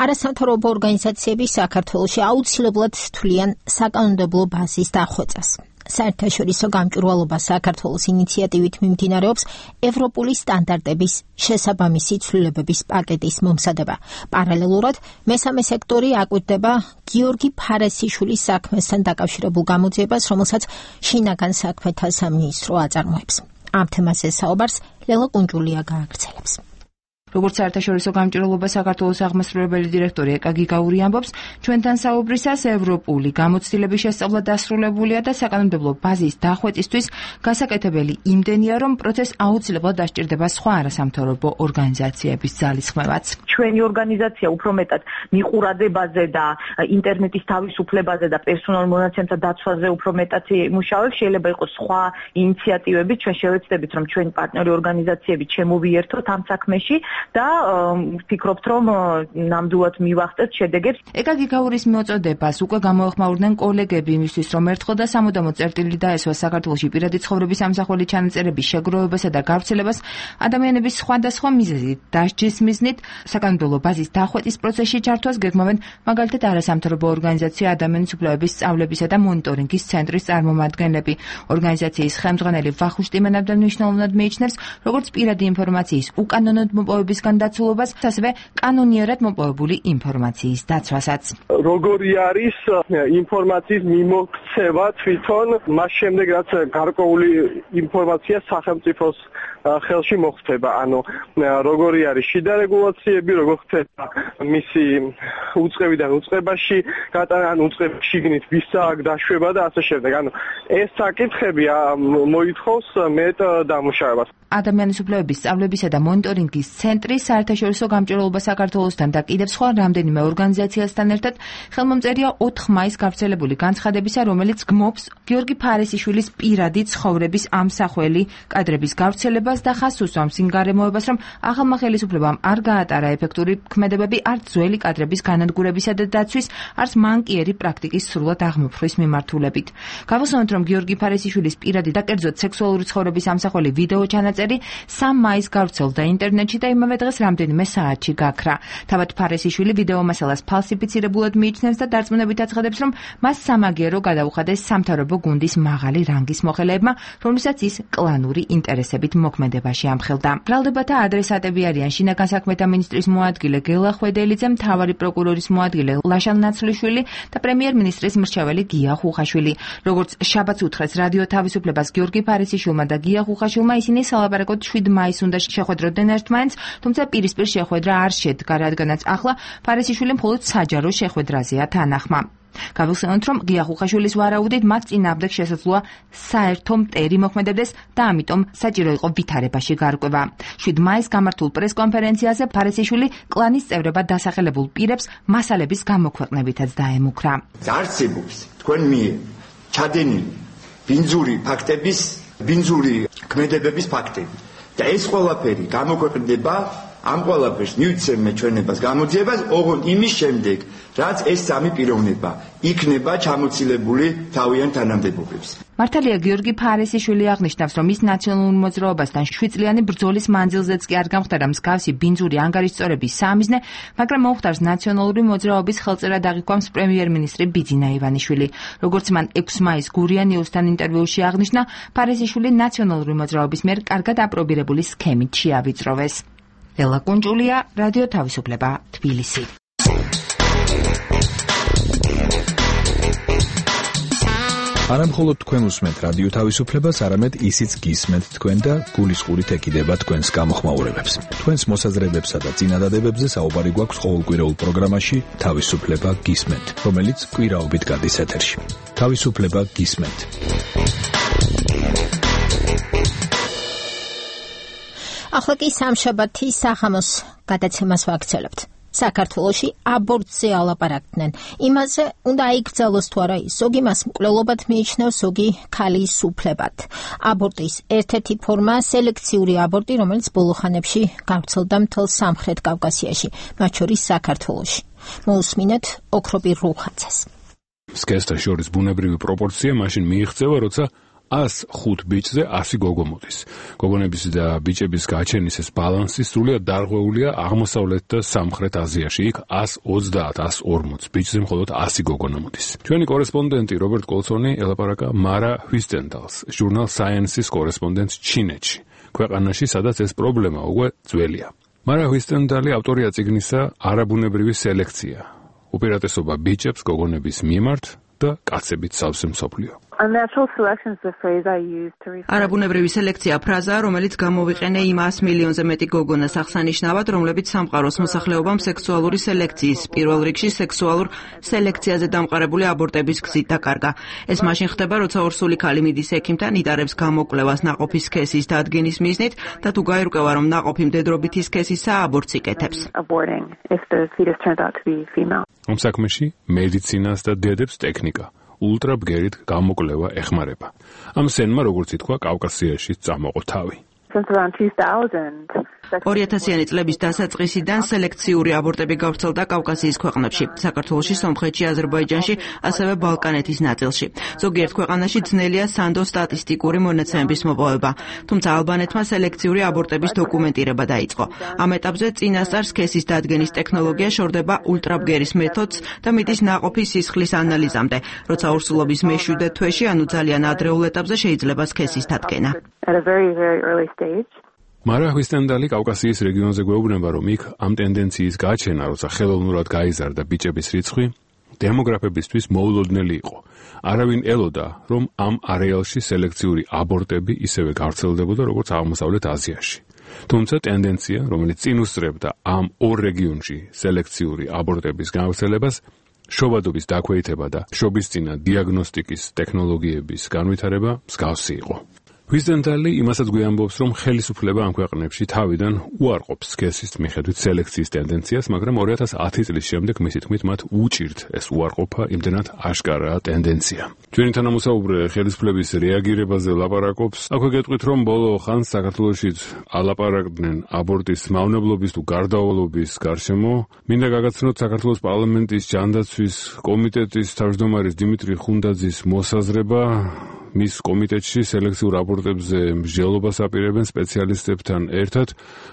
არასამთავრობო ორგანიზაციები საქართველოში აუცილებლად თვლიან საკანონმდებლო ბაზის დახვეწას. საერთაშორისო გამჭვირვალობა საქართველოს ინიციატივით მიმდინარეობს ევროპული სტანდარტების შესაბამისი ცვლილებების პაკეტის მომზადება. პარალელურად მესამე სექტორი აკვირდება გიორგი ფარასიშვილის საქმესთან დაკავშირებულ გამოძიებას, რომელსაც შინაგან საქმეთა სამინისტრო აწარმოებს. ამ თემაზე საუბარს ლელა კუნჯულია გააგრძელებს. როგორც საერთაშორისო გამჭვირვალობა საქართველოს აღმასრულებელი დირექტორი ეკა გიგაური ამბობს, ჩვენთან საუბრისას ევროპული გამოცდილების შესწავლა დასრულებულია და საკანონმდებლო ბაზის დახვეწისთვის გასაკეთებელი იმდენია, რომ პროცესს აუცილებლად დასჭირდება სხვა არასამთავრობო ორგანიზაციების ძალისხმევაც. ჩვენი ორგანიზაცია უფრო მეტად მიყურადებაზე და ინტერნეტის თავისუფლებაზე და პერსონალურ მონაცემთა დაცვაზე უფრო მეტად იმუშავებს. შეიძლება იყოს სხვა ინიციატივები, ჩვენ შევეცდებით, რომ ჩვენი პარტნიორი ორგანიზაციები ჩემოვიერთოთ ამ საქმეში. და ვფიქრობთ, რომ ნამდვილად მივახცეთ შედეგებს. ეკა გიგაურის მოწოდებას უკვე გამოეხმაურდნენ კოლეგები იმისთვის, რომ ერთხელ და სამუდამოდ წერტილი დაესვა საქართველოში პირადი ცხოვრების ამსახველი ჩანაწერების შეგროვებასა და გავრცელებას ადამიანების სხვადასხვა მიზეზით დასჯის მიზნით საკანონმდებლო ბაზის დახვეწის პროცესში ჩართვას გეგმავენ მაგალითად არასამთავრობო ორგანიზაცია ადამიანის უფლებების სწავლებისა და მონიტორინგის ცენტრის წარმომადგენლები. ორგანიზაციის ხელმძღვანელი ვახუშტი ტიმენაბდა მნიშვნელოვნად მიიჩნევს როგორც პირადი ინფორმაციის უკანონოდ მოპოვების განდაცულობას, ასევე კანონიერად მოპოვებული ინფორმაციის დაცვასაც. როგორი არის ინფორმაციის მიმოქცევა თვითონ მას შემდეგ, რაც გარკვეული ინფორმაცია სახელმწიფოს ხელში მოხდება, ანუ როგორი არის შიდა რეგულაციები, როგორ ხდება მისი უწყებიდან უწყებაში გატანა, ან უწყების შიგნით ვისა აქ დაშვება და ასე შემდეგ. ანუ ეს საკითხები მოითხოვს მეტ დამუშავებას. ადამიანის უფლებების სწავლებისა და მონიტორინგის ცენტრი საერთაშორისო გამჭვირვალობა საქართველოსთან და კიდევ სხვა რამდენიმე ორგანიზაციასთან ერთად ხელმომწერია ოთხ მაისს გავრცელებული განცხადებისა, რომელიც გმობს გიორგი ფარასიშვილის პირადი ცხოვრების ამსახველი კადრების გავრცელებას და ხაზს უსვამს იმ გარემოებას, რომ ახალმა ხელისუფლებამ არ გაატარა ეფექტური ქმედებები არც ძველი კადრების განადგურებისა და დაცვის, არც მანკიერი პრაქტიკის სრულად აღმოფხვის მიმართულებით. გავუსვამთ, რომ გიორგი ფარასიშვილის პირადი და კერძოდ სექსუალური ცხოვრების ამსახველი ვიდეო ჩანაწერი სამ მაისს გავრცელდა ინტერნეტში და იმავე დღეს რამდენიმე საათში გაქრა. თავად ფარასიშვილი ვიდეო მასალას ფალსიფიცირებულად მიიჩნევს და დარწმუნებით აცხადებს, რომ მას სამაგიერო გადაუხადეს სამთავრობო გუნდის მაღალი რანგის მოხელეებმა, რომლისაც ის კლანური ინტერესებით მოქმედებაში ამხელდა. ბრალდებათა ადრესატები არიან შინაგან საქმეთა მინისტრის მოადგილე გელა ხვედელიძე, მთავარი პროკურორის მოადგილე ლაშან ნაცვლიშვილი და პრემიერ-მინისტრის მრჩეველი გია ხუხაშვილი. როგორც შაბათს უთხრეს რადიო თავისუფლებას გიორგი ფარასიშვილმა და გია ხუხაშვილმა, ისინი სალაპარაკოდ შვიდ მაისს უნდა შეხვედროდნენ ერთმანეთს, თუმცა პირისპირ შეხვედრა არ შედგა, რადგანაც ახლა ფარასიშვილი მხოლოდ საჯარო შეხვედრაზეა თანახმა. გავიხსენოთ, რომ გია ხუხაშვილის ვარაუდით მათ წინააღმდეგ შესაძლოა საერთო მტერი მოქმედებდეს და ამიტომ საჭირო იყო ვითარებაში გარკვევა. შვიდ მაისს გამართულ პრესკონფერენციაზე ფარასიშვილი კლანის წევრებად დასახელებულ პირებს მასალების გამოქვეყნებითაც დაემუქრა. არსებობს თქვენ მიერ ჩადენილი ბინძური ფაქტების, ბინძური ქმედებების ფაქტები და ეს ყველაფერი გამოქვეყნდება ამ ყველაფერს მივცემ ჩვენებას გამოძიებას, ოღონდ იმის შემდეგ, რაც ეს სამი პიროვნება იქნება ჩამოცილებული თავიანთ თანამდებობებს. მართალია გიორგი ფარასიშვილი აღნიშნავს, რომ ის ნაციონალურ მოძრაობასთან შვიდწლიანი ბრძოლის მანძილზეც კი არ გამختარა მსგავსი ბინძური ანგარიშწორების სამიზნე, მაგრამ მოუხდარს ნაციონალური მოძრაობის ხელწერად აღიქვამს პრემიერ-მინისტრი ბიძინა ივანიშვილი. როგორც მან ექვსი მაისს გურია ნიუსთან ინტერვიუში აღნიშნა, ფარასიშვილი ნაციონალური მოძრაობის მიერ კარგად აპრობირებული სქემით შეავიწროვეს. ელა კუნჯულია, რადიო თავისუფლება, თბილისი. არამხოლოდ თქვენ უსმენთ რადიო თავისუფლებას, არამედ ისიც გისმენთ თქვენ და გულისყურით ეკიდება თქვენს გამოხმაურებებს. თქვენს მოსაზრებებსა და წინადადებებზე საუბარი გვაქვს ყოველკვირეულ პროგრამაში თავისუფლება გისმენთ, რომელიც კვირაობით გადის ეთერში. თავისუფლება გისმენთ. ახლა კი სამშაბათი საღამოს გადაცემას ვაგრძელებთ. საქართველოში აბორტზე ალაპარაკდნენ. იმაზე უნდა აიგრძელოს თუ არა ის. ზოგი მას მკვლელობად მიიჩნევს, ზოგი ქალის უფლებად. აბორტის ერთ-ერთი ფორმა სელექციური აბორტი, რომელიც ბოლო ხანებში გავრცელდა მთელ სამხრეთ კავკასიაში, მათ შორის საქართველოში. მოусმინეთ ოქროპირ რუხაძეს. სქესთა შორის ბუნებრივი პროპორცია მაშინ მიიღწევა, როცა ას ხუთ ბიჭზე ასი გოგო მოდის. გოგონების და ბიჭების გაჩენის ეს ბალანსი სრულიად დარღვეულია აღმოსავლეთ და სამხრეთ აზიაში. იქ ას ოცდაათ, ას ორმოც ბიჭზე მხოლოდ ასი გოგონა მოდის. ჩვენი კორესპონდენტი რობერტ კოლსონი ელაპარაკა მარა ჰვისტენდალს, ჟურნალ Science-ის კორესპონდენტს ჩინეთში, ქვეყანაში, სადაც ეს პრობლემა უკვე ძველია. მარა ჰვისტენდალი ავტორია წიგნისა არაბუნებრივი სელექცია. უპირატესობა ბიჭებს გოგონების მიმართ და კაცებით სავსე მსოფლიო. არაბუნებრივი სელექცია ფრაზაა, რომელიც გამოვიყენე იმ ას მილიონზე მეტი გოგონას აღსანიშნავად, რომლებიც სამყაროს მოსახლეობამ სექსუალური სელექციის, პირველ რიგში სექსუალურ სელექციაზე დამყარებული აბორტების გზით დაკარგა. ეს მაშინ ხდება, როცა ორსული ქალი მიდის ექიმთან, იტარებს გამოკვლევას ნაყოფის სქესის დადგენის მიზნით და თუ გაირკვევა, რომ ნაყოფი მდედრობითი სქესისაა, აბორტს იკეთებს. ამ საქმეში მედიცინას და დედებს ტექნიკა, ულტრაბგერით გამოკვლევა ეხმარება. ამ სენმა, როგორც ითქვა, კავკასიაში წამოყო თავი. ორიათასიანი წლების დასაწყისიდან სელექციური აბორტები გავრცელდა კავკასიის ქვეყნებში, საქართველოში, სომხეთში, აზერბაიჯანში, ასევე ბალკანეთის ნაწილში. ზოგიერთ ქვეყანაში ძნელია სანდო სტატისტიკური მონაცემების მოპოვება, თუმცა ალბანეთმა სელექციური აბორტების დოკუმენტირება დაიწყო. ამ ეტაპზე წინასწარ სქესის დადგენის ტექნოლოგია შორდება ულტრაბგერის მეთოდს და მიდის ნაყოფის სისხლის ანალიზამდე, როცა ორსულობის მეშვიდე თვეში, ანუ ძალიან ადრეულ ეტაპზე შეიძლება სქესის დადგენა. მარა ჰვისტენდალი კავკასიის რეგიონზე გვეუბნება, რომ იქ ამ ტენდენციის გაჩენა, როცა ხელოვნურად გაიზარდა ბიჭების რიცხვი, დემოგრაფებისთვის მოულოდნელი იყო. არავინ ელოდა, რომ ამ არეალში სელექციური აბორტები ისევე გავრცელდებოდა, როგორც აღმოსავლეთ აზიაში. თუმცა ტენდენცია, რომელიც წინ უსწრებდა ამ ორ რეგიონში სელექციური აბორტების გავრცელებას, შობადობის დაქვეითება და შობისწინა დიაგნოსტიკის ტექნოლოგიების განვითარება მსგავსი იყო. ჰვისტენდალი იმასაც გვიამბობს, რომ ხელისუფლება ამ ქვეყნებში თავიდან უარყოფს სქესის მიხედვით სელექციის ტენდენციას, მაგრამ ორი ათას ათი წლის შემდეგ მისი თქმით მათ უჭირთ ეს უარყოფა, იმდენად აშკარაა ტენდენცია. ჩვენი თანამოსაუბრე ხელისუფლების რეაგირებაზე ლაპარაკობს. აქვე გეტყვით, რომ ბოლო ხანს საქართველოშიც ალაპარაკდნენ აბორტის მავნებლობის თუ გარდავალობის გარშემო. მინდა გაგაცნოთ საქართველოს პარლამენტის ჯანდაცვის კომიტეტის თავმჯდომარის დიმიტრი ხუნდაძის მოსაზრება. მის კომიტეტში სელექციურ აბორტებზე მსჯელობას აპირებენ სპეციალისტებთან ერთად.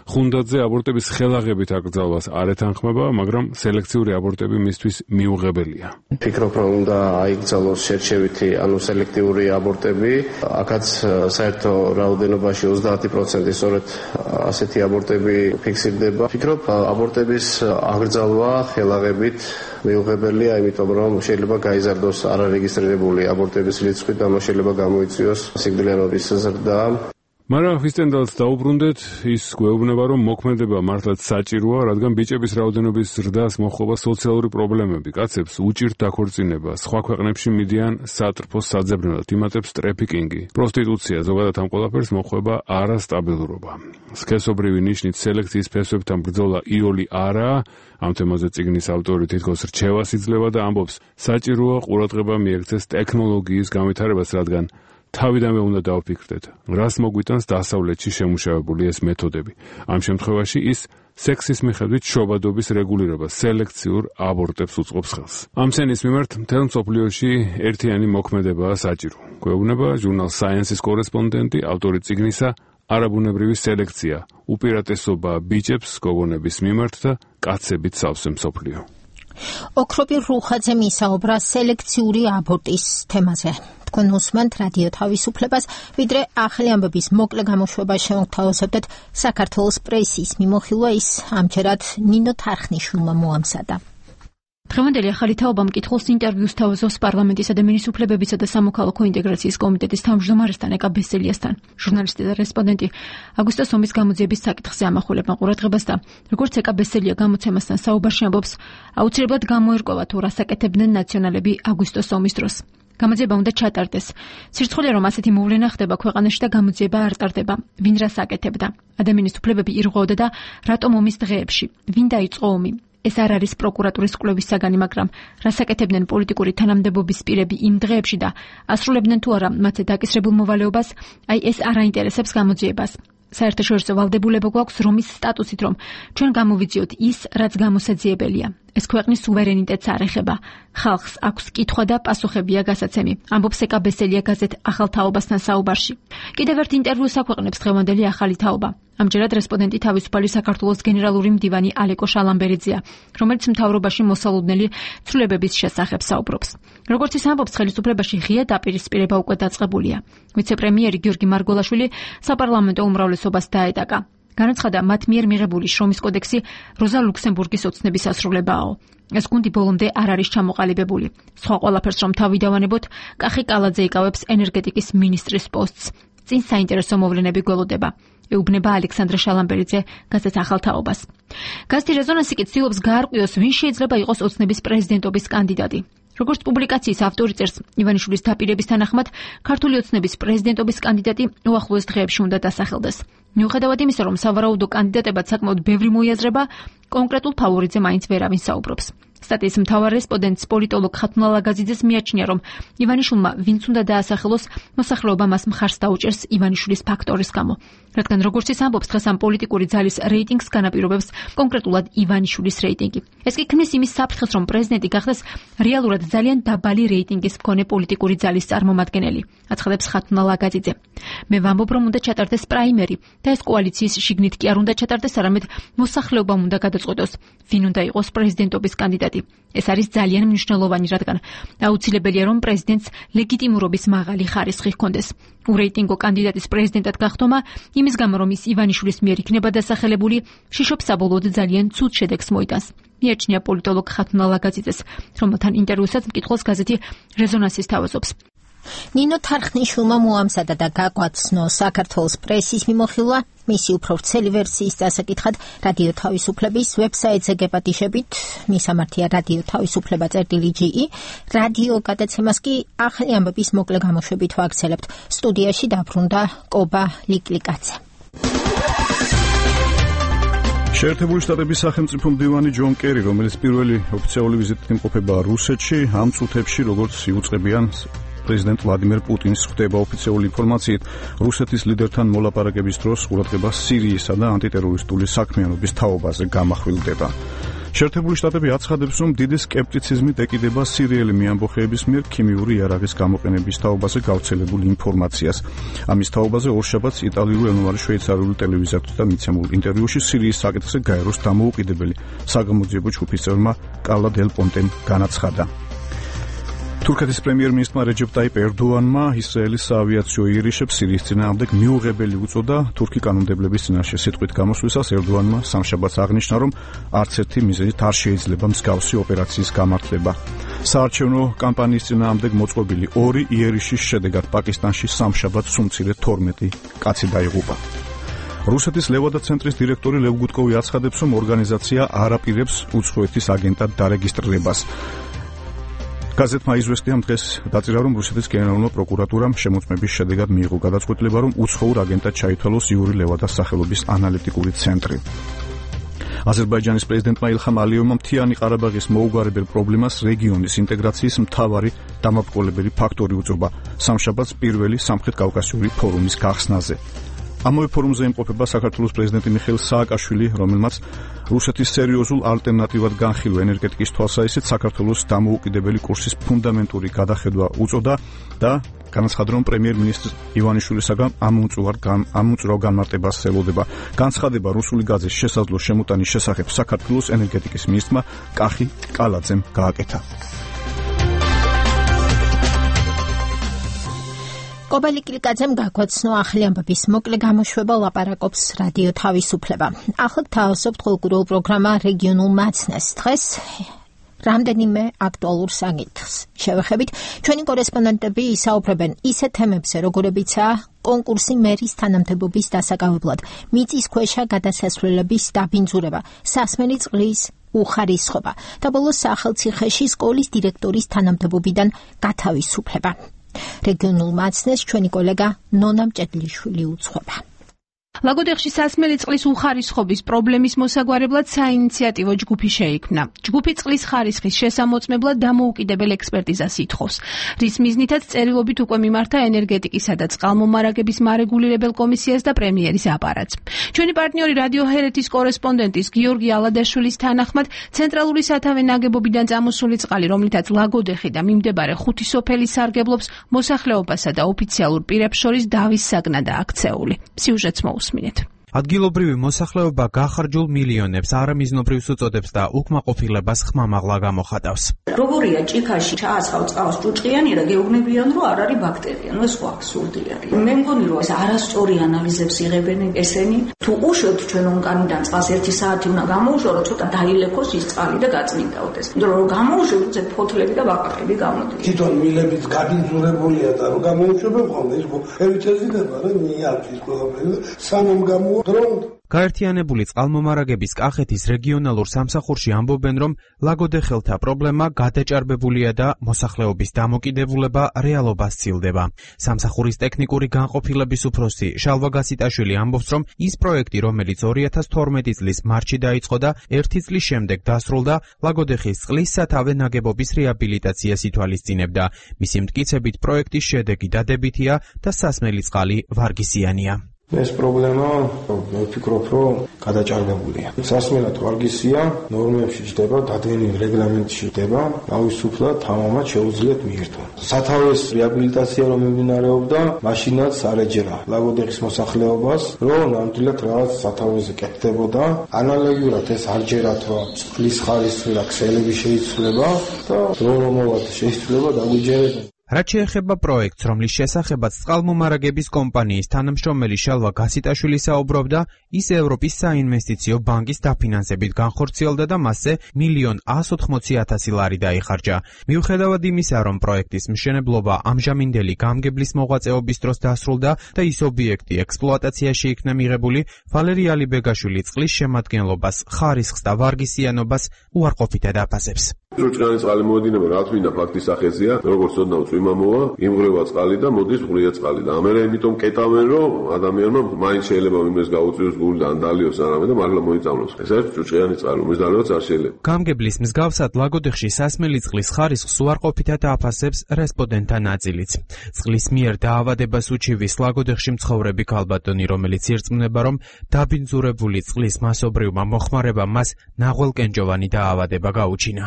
ხუნდაძე აბორტების ხელაღებით აკრძალვას არ ეთანხმება, მაგრამ სელექციური აბორტები მისთვის მიუღებელია. ფიქრობ, რომ უნდა აიკრძალოს შერჩევითი, ანუ სელექტიური აბორტები. აქაც საერთო რაოდენობაში ოცდაათი პროცენტი სწორედ ასეთი აბორტები ფიქსირდება. ფიქრობ, აბორტების აღგრძალვა ხელაღებით მიუღებელია, იმიტომ რომ შეიძლება გაიზარდოს არარეგისტრირებული აბორტების რიცხვი და შეიძლება გამოიწვიოს სიკვდილიანობის ზრდა. მაგრამ ჰვისტენდალს დაუბრუნდეთ, ის გვეუბნება, რომ მოქმედება მართლაც საჭიროა, რადგან ბიჭების რაოდენობის ზრდას მოჰყობა სოციალური პრობლემები, კაცებს უჭირთ დაქორწინება, სხვა ქვეყნებში მიდიან სატრფოს საძებნელად, იმატებს ტრეფიკინგი, პროსტიტუცია, ზოგადად ამ ყველაფერს მოჰყვება არასტაბილურობა. სქესობრივი ნიშნით სელექციის ფესვებთან ბრძოლა იოლი არაა. ამ თემაზე წიგნის ავტორი თითქოს რჩევას იძლევა და ამბობს, საჭიროა ყურადღება მიექცეს ტექნოლოგიის განვითარებას, რადგან თავიდანვე უნდა დავფიქრდეთ, რას მოგვიტანს დასავლეთში შემუშავებული ეს მეთოდები. ამ შემთხვევაში ის სექსის მიხედვით შობადობის რეგულირებას, სელექციურ აბორტებს უწყობს ხელს. ამ სენის მიმართ მთელ მსოფლიოში ერთიანი მოქმედებაა საჭირო. გვეუბნება ჟურნალ Science-ის კორესპონდენტი, ავტორი წიგნისა არაბუნებრივი სელექცია, უპირატესობა ბიჭებს გოგონების მიმართ და კაცებით სავსე მსოფლიო. ოქროპირ რუხაძე მისაუბრა სელექციური აბორტის თემაზე. თქვენ უსმენთ რადიო თავისუფლებას, ვიდრე ახალი ამბების მოკლე გამოშვება შევთავაზებთ საქართველოს პრესის მიმოხილვა ის ამჯერად ნინო თარხნიშვილმა მოამზადა. დღევანდელი ახალი თაობა მკითხველს ინტერვიუს თავაზობს პარლამენტისა და მინისტრუფლებებისა და სამოქალაქო ინტეგრაციის კომიტეტის თავმჯდომარესთან ეკა ბესელიასთან. ჟურნალისტი და რესპონდენტი აგვისტო სომის გამოძიების საკითხზე ამახვილებენ ყურადღებას და როგორც ეკა ბესელია გამოცემასთან საუბარში ამბობს, აუცილებლად გამოერკვევა თუ რასაკეთებდნენ ნაციონალები აგვისტო სომის დროს. გამოძიება უნდა ჩატარდეს. სირცხულია, რომ ასეთი მოვლენა ხდება ქვეყანაში და გამოძიება არ ტარდება. ვინ რას აკეთებდა? ადამიანის უფლებები ირღვეოდა და რატომ ომის დღეებში? ვინ დაიწყო ომი? ეს არ არის პროკურატურის კვლევის საგანი, მაგრამ რასაკეთებდნენ პოლიტიკური თანამდებობის პირები იმ დღეებში და ასრულებდნენ თუ არა მათზე დაკისრებულ მოვალეობას, აი ეს არ აინტერესებს გამოძიებას. საერთაშორისო ვალდებულება გვაქვს რომის სტატუსით, რომ ჩვენ გამოვიძიოთ ის, რაც გამოსაძიებელია. ეს ქვეყნის სუვერენიტეტს არ ეხება. ხალხს აქვს კითხვა და პასუხებია გასაცემი. ამბობს ეკა ბესელია გაზეთ ახალ თაობასთან საუბარში. კიდევ ერთ ინტერვიუს აქვეყნებს დღევანდელი ახალი თაობა. ამჯერად რესპონდენტი თავისუფალი საქართველოს გენერალური მდივანი ალეკო შალამბერიძეა, რომელიც მთავრობაში მოსალოდნელი ცვლილებების შესახებ საუბრობს. როგორც ის ამბობს, ხელისუფლებაში ღია დაპირისპირება უკვე დაწყებულია. ვიცე-პრემიერი გიორგი მარგოლაშვილი საპარლამენტო უმრავლესობას დაედაკა. განაცხადა, მათ მიერ მიღებული შრომის კოდექსი როზა ლუქსემბურგის ოცნების ასრულებაა. ეს გუნდი ბოლომდე არ არის ჩამოყალიბებული. სხვა ყველაფერს რომ თავი დავანებოთ, კახი კალაძე იკავებს ენერგეტიკის მინისტრის პოსტს. წინ საინტერესო მოვლენები გველოდება. ეუბნება ალექსანდრე შალამბერიძე გაზეთ ახალ თაობას. გაზეთი რეზონანსი კი ცდილობს გაარკვიოს, ვინ შეიძლება იყოს ოცნების პრეზიდენტობის კანდიდატი. როგორც პუბლიკაციის ავტორი წერს, ივანიშვილის დაპირების თანახმად, ქართული ოცნების პრეზიდენტობის კანდიდატი უახლოეს დღეებში უნდა დასახელდეს. მიუხედავად იმისა, რომ სავარაუდო კანდიდატებად საკმაოდ ბევრი მოიაზრება, კონკრეტულ ფავორიტზე მაინც ვერავინ საუბრობს. სტატიის მთავარ რესპონდენტს პოლიტოლოგ ხათუნა ლაგაზიძეს მიაჩნია, რომ ივანიშვილმა ვინც უნდა დაასახელოს, მოსახლეობა მას მხარს დაუჭერს ივანიშვილის ფაქტორის გამო. რადგან როგორც ის ამბობს, დღეს ამ პოლიტიკური ძალის რეიტინგს განაპირობებს კონკრეტულად ივანიშვილის რეიტინგი. ეს კი ქმნის იმის საფრთხეს, რომ პრეზიდენტი გახდეს რეალურად ძალიან დაბალი რეიტინგის მქონე პოლიტიკური ძალის წარმომადგენელი, აცხადებს ხათუნა ლაგაზიძე. მე ვამბობ, რომ უნდა ჩატარდეს პრაიმერი და ეს კოალიციის შიგნით კი არ უნდა ჩატარდეს, არამედ მოსახლეობამ უნდა გადაწყვეტოს, ვინ უნდა იყოს პრეზიდენტობის კანდიდატი. ეს არის ძალიან მნიშვნელოვანი, რადგან აუცილებელია, რომ პრეზიდენტს ლეგიტიმურობის მაღალი ხარისხი ჰქონდეს. ურეიტინგო კანდიდატის პრეზიდენტად გახდომა იმის გამო, რომ ის ივანიშვილის მიერ იქნება დასახელებული, შიშობს საბოლოოდ ძალიან ცუდ შედეგს მოიტანს. მიაჩნია პოლიტოლოგ ხათუნა ლაგაზიძეს, რომელთან ინტერვიუსაც მკითხველს გაზეთი რეზონანსი სთავაზობს. ნინო თარხნიშვილმა მოამზადა და გაგვაცნო საქართველოს პრესის მიმოხილვა, მისი უფრო ვრცელი ვერსიის დასაკითხად რადიო თავისუფლების ვებსაიტზე გეპატიშებით, მისამართია რადიო თავისუფლება წერტილი ჯი, რადიო გადაცემას კი ახალი ამბების მოკლე გამოშვებით ვაგრძელებთ. სტუდიაში დაბრუნდა კობა ლიკლიკაძე. შეერთებული შტატების სახელმწიფო მდივანი ჯონ კერი, რომელიც პირველი ოფიციალური ვიზიტით იმყოფება რუსეთში, ამ წუთებში როგორც იუწყებიან პრეზიდენტ ვლადიმერ პუტინს ხვდება ოფიციალური ინფორმაციით, რუსეთის ლიდერთან მოლაპარაკების დროს ყურადღება სირიისა და ანტიტერორისტული საქმიანობის თაობაზე გამახვილდება. შეერთებული შტატები აცხადებს, რომ დიდი სკეპტიციზმით ეკიდება სირიელი მეამბოხეების მიერ ქიმიური იარაღის გამოყენების თაობაზე გავრცელებულ ინფორმაციას. ამის თაობაზე ორშაბათს იტალიურ ენოვანი შვეიცარიული ტელევიზიასთან მიცემულ ინტერვიუში სირიის საკითხზე გაეროს დამოუკიდებელი საგამოძიებო ჯგუფის წევრმა კარლა დელ პონტემ განაცხადა. თურქეთის პრემიერ-მინისტრმა რეჯეპ ტაიპ ერდოანმა ისრაელის საავიაციო იერიშებს სირიის წინააღმდეგ მიუღებელი უწოდა. თურქი კანონმდებლების წინაშე სიტყვით გამოსვლისას ერდოანმა სამშაბათს აღნიშნა, რომ არც ერთი მიზეზით არ შეიძლება მსგავსი ოპერაციის გამართლება. საარჩევნო კამპანიის წინააღმდეგ მოწყობილი ორი იერიშის შედეგად პაკისტანში სამშაბათს უმცირე თორმეტი კაცი დაიღუპა. რუსეთის ლევადა ცენტრის დირექტორი ლევ გუტკოვი აცხადებს, რომ ორგანიზაცია არ აპირებს უცხოეთის აგენტად დარეგისტრირებას. გაზეთმა იზვესტია დღეს დაწერა, რომ რუსეთის გენერალურმა პროკურატურამ შემოწმების შედეგად მიიღო გადაწყვეტილება, რომ უცხოურ აგენტად ჩაითვალოს იური ლევადას სახელობის ანალიტიკური ცენტრი. აზერბაიჯანის პრეზიდენტმა ილხამ ალიევმა მთიანი ყარაბაღის მოუგვარებელ პრობლემას რეგიონის ინტეგრაციის მთავარი დამაბრკოლებელი ფაქტორი უწოდა სამშაბათს პირველი სამხრეთ-კავკასიური ფორუმის გახსნაზე. ამავე ფორუმზე იმყოფება საქართველოს პრეზიდენტი მიხეილ სააკაშვილი, რომელმაც რუსეთის სერიოზულ ალტერნატივად განხილვა ენერგეტიკის თვალსაჩინოდ საქართველოს დამოუკიდებელი კურსის ფუნდამენტური გადახედვა უწოდა და განაცხადა, რომ პრემიერ-მინისტრ ივანიშვილისაგან ამომწურავ განმარტებას ელოდება. განცხადება რუსული გაზეთის შესაძლო შემოტანის შესახებ საქართველოს ენერგეტიკის მინისტრმა კახი კალაძემ გააკეთა. კობა ლიკლიკაძემ გაგვაცნო ახალი ამბების მოკლე გამოშვება, ლაპარაკობს რადიო თავისუფლება. ახლა გთავაზობთ ყოველკვირეულ პროგრამა რეგიონულ მაცნეს. დღეს რამდენიმე აქტუალურ საკითხს შევეხებით. ჩვენი კორესპონდენტები ისაუბრებენ ისეთ თემებზე, როგორებიცაა კონკურსი მერის თანამდებობის დასაკავებლად, მიწისქვეშა გადასასვლელების დაბინძურება, სასმელი წყლის უხარისხობა და ბოლოს სახელმწიფოში სკოლის დირექტორის თანამდებობიდან გათავისუფლება. რეგიონულ მაცნეს ჩვენი კოლეგა ნონა მჭედლიშვილი უძღვება. ლაგოდეხში სასმელი წყლის უხარისხობის პრობლემის მოსაგვარებლად საინიციატივო ჯგუფი შეიქმნა. ჯგუფი წყლის ხარისხის შესამოწმებლად დამოუკიდებელ ექსპერტიზას ითხოვს, რის მიზნითაც წერილობით უკვე მიმართა ენერგეტიკისა და წყალმომარაგების მარეგულირებელ კომისიას და პრემიერის აპარატს. ჩვენი პარტნიორი რადიო ჰერეთის კორესპონდენტის გიორგი ალადაშვილის თანახმად, ცენტრალური სათავე ნაგებობიდან წამოსული წყალი, რომლითაც ლაგოდეხი და მიმდებარე ხუთი სოფელი სარგებლობს, მოსახლეობასა და ოფიციალურ პირებს შორის დავის საგნადაა აქცეული. სიუჟეტს მოусმინეთ. ადგილობრივი მოსახლეობა გახარჯულ მილიონებს არამიზნობრივს უწოდებს და უკმაყოფილებას ხმამაღლა გამოხატავს. როგორია ჭიქაში ჩაასხავ წყალს ჭუჭყიანი და გეუბნებიან, რომ არ არის ბაქტერია, ნუ ეს ხო აბსურდი არის. მე მგონი, რომ ეს არასწორი ანალიზებს იღებენ ესენი. თუ უშვებთ ჩვენ ონკანიდან წყალს ერთი საათი უნდა გამოუშვო, რომ ცოტა დაილექოს ის წყალი და გაწმინდაოდეს. იმიტომ რომ გამოუშვებთ, ეს ფოთლები და ბაყაყები გამოდიან. თვითონ მილებიც გაბინძურებულია და რომ გამოუშვებენ ხოლმე, ის ევიცეზიდება, რომ მიაქვს ყველაფერი და სანამ გამო გაერთიანებული წყალმომარაგების კახეთის რეგიონალურ სამსახურში ამბობენ, რომ ლაგოდეხელთა პრობლემა გადაჭარბებულია და მოსახლეობის დამოკიდებულება რეალობას სცილდება. სამსახურის ტექნიკური განყოფილების უფროსი შალვა გასიტაშვილი ამბობს, რომ ის პროექტი, რომელიც ორი ათას თორმეტი წლის მარტში დაიწყო და ერთი წლის შემდეგ დასრულდა, ლაგოდეხის წყლის სათავე ნაგებობის რეაბილიტაციას ითვალისწინებდა. მისი მტკიცებით პროექტის შედეგი დადებითია და სასმელი წყალი ვარგისიანია. ეს პრობლემა მე ვფიქრობ, რომ გადაჭარბებულია. სასმელად ვარგისია, ნორმებში ჯდება, დადგენილ რეგლამენტში ჯდება, თავისუფლად თამამად შეუძლიათ მიირთვა. სათავეს რეაბილიტაცია რომ მიმდინარეობდა, მაშინაც არ ეჯერა ლაგოდეხის მოსახლეობას, რომ ნამდვილად რაღაც სათავეზე კეთდებოდა. ანალოგიურად ეს არ ჯერათ, რომ წყლის ხარისხი და ქსელები შეიცვლება და რომლომავად შეიცვლება დაგვიჯერებენ. რაც შეეხება პროექტს, რომლის შესახებაც წყალმომარაგების კომპანიის თანამშრომელი შალვა გასიტაშვილი საუბრობდა, ის ევროპის საინვესტიციო ბანკის დაფინანსებით განხორციელდა და მასზე მილიონ ას ოთხმოცი ათასი ლარი დაიხარჯა. მიუხედავად იმისა, რომ პროექტის მშენებლობა ამჟამინდელი გამგებლის მოღვაწეობის დროს დასრულდა და ის ობიექტი ექსპლუატაციაში იქნა მიღებული, ვალერი ალიბეგაშვილი წყლის შემადგენლობას, ხარისხს და ვარგისიანობას უარყოფითად აფასებს. ჭუჭყიანი წყალი მოედინება, რა თქმა უნდა, ფაქტის სახეზია, როგორც ოდნავ წვიმა მოვა, იმღრევა წყალი და მოდის ღვრია წყალი და ამერე იმიტომ კეტავენ, რომ ადამიანმა მაინც შეიძლება იმეს გაუწიოს გული და ან დალიოს არამე და მართლა მოიწამლოს. ეს არის ჭუჭყიანი წყალი, რომლის დალევაც არ შეიძლება. გამგებლის მსგავსად ლაგოდეხში სასმელი წყლის ხარისხს უარყოფითად აფასებს რესპონდენტთა ნაწილიც. წყლის მიერ დაავადებას უჩივის ლაგოდეხში მცხოვრები ქალბატონი, რომელიც ირწმუნება, რომ დაბინძურებული წყლის მასობრივმა მოხმარებამ მას ნაღველკენჭოვანი დაავადება გაუჩინა.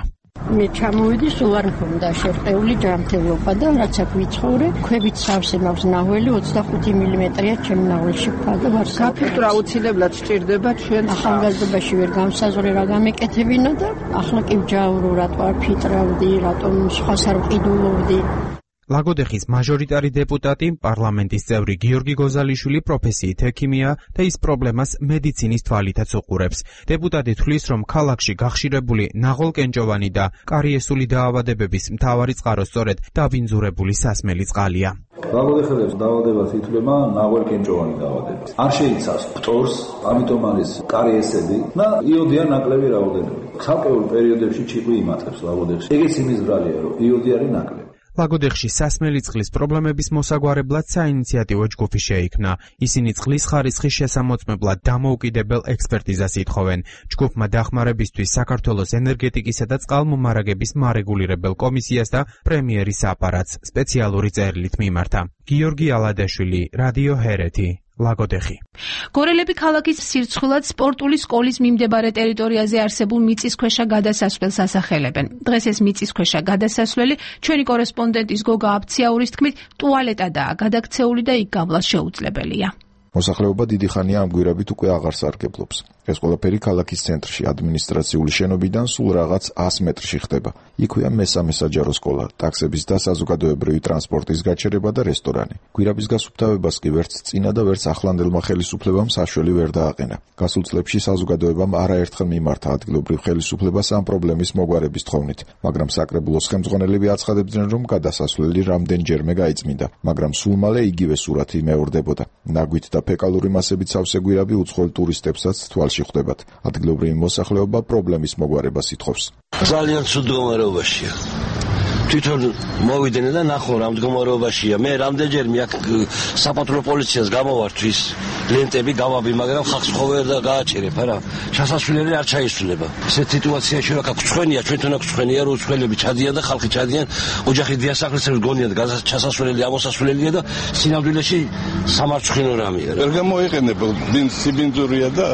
მე ჩამოვიდი, სულ არ მქონდა შერყეული ჯანმრთელობა და რაც აქ ვიცხოვრე, ქვებით სავსე მაქვს ნაღველი ოცდახუთი მილიმეტრია ჩემ ნაღველში ფა და ვარ საფილტრო აუცილებლად სჭირდება ჩვენ ახალგაზრდობაში ვერ გამსაზღვრე რა გამეკეთებინა და ახლა კი ვჯაურო რატო არ ფიტრავდი, რატომ სხვას არ ვყიდულობდი. ლაგოდეხის მაჟორიტარი დეპუტატი, პარლამენტის წევრი გიორგი გოზალიშვილი პროფესიით ექიმია და ის პრობლემას მედიცინის თვალითაც უყურებს. დეპუტატი თვლის, რომ ქალაქში გახშირებული ნაღველკენჭოვანი და კარიესული დაავადებების მთავარი წყარო სწორედ დაბინძურებული სასმელი წყალია. ლაგოდეხელებს დაავადებას ითვლება ნაღველკენჭოვანი დაავადება. არ შეიცავს ფტორს, ამიტომ არის კარიესები და იოდია ნაკლები რაოდენობით. ცალკეულ პერიოდებში ჭიყვი იმატებს ლაგოდეხში. ეგეც იმის ბრალია, რომ იოდი არის ნაკლები. ლაგოდეხში სასმელი წყლის პრობლემების მოსაგვარებლად საინიციატივო ჯგუფი შეიქმნა. ისინი წყლის ხარისხის შესამოწმებლად დამოუკიდებელ ექსპერტიზას ითხოვენ. ჯგუფმა დახმარებისთვის საქართველოს ენერგეტიკისა და წყალმომარაგების მარეგულირებელ კომისიას და პრემიერის აპარატს სპეციალური წერილით მიმართა. გიორგი ალადაშვილი, რადიო ჰერეთი. ლაგოდეხი. გორელები ქალაქის სირცხვილად სპორტული სკოლის მიმდებარე ტერიტორიაზე არსებულ მიწისქვეშა გადასასვლელს ასახელებენ. დღეს ეს მიწისქვეშა გადასასვლელი ჩვენი კორესპონდენტის გოგა აბციაურის თქმით ტუალეტადაა გადაქცეული და იქ გავლა შეუძლებელია. მოსახლეობა დიდი ხანია ამ გვირაბით უკვე აღარ სარგებლობს. ეს ყველაფერი ქალაქის ცენტრში ადმინისტრაციული შენობიდან სულ რაღაც ას მეტრში ხდება. იქვეა მესამე საჯარო სკოლა, ტაქსების და საზოგადოებრივი ტრანსპორტის გაჩერება და რესტორანი. გვირაბის გასუფთავებას კი ვერც წინა და ვერც ახლანდელმა ხელისუფლებამ საშველი ვერ დააყენა. გასულ წლებში საზოგადოებამ არაერთხელ მიმართა ადგილობრივ ხელისუფლებას ამ პრობლემის მოგვარების თხოვნით, მაგრამ საკრებულოს ხელმძღვანელები აცხადებდნენ, რომ გადასასვლელი რამდენჯერმე გაიწმინდა, მაგრამ სულ მალე იგივე სურათი მეორდებოდა. ნაგვით და ფეკალური მასებით სავსე გვირაბი უცხოელ ტურისტებსაც თვალში ხვდებათ. ადგილობრივი მოსახლეობა პრობლემის მოგვარებას ითხოვს. ძალიან ცუდ მდგომარეობაშია. თვითონ მოვიდნენ და ნახო რა მდგომარეობაშია. მე რამდენჯერ მე აქ საპატრულო პოლიციას გამოვართვის ლენტები გავაბი, მაგრამ ხალხს ხო ვერ გააჩერებ, არა. ჩასასვლელი არ ჩაისვლება. ესეთ სიტუაციაში რა გწვენია, ჩვენთან აქ გწვენია, რომ უცხოელები ჩადიან და ხალხი ჩადიან, ოჯახი დიასახლისებს გონიათ, ჩასასვლელი ამოსასვლელია და სინამდვილეში სამარცხვინო რამეა. ვერ გამოიყენებ, სიბინძურია და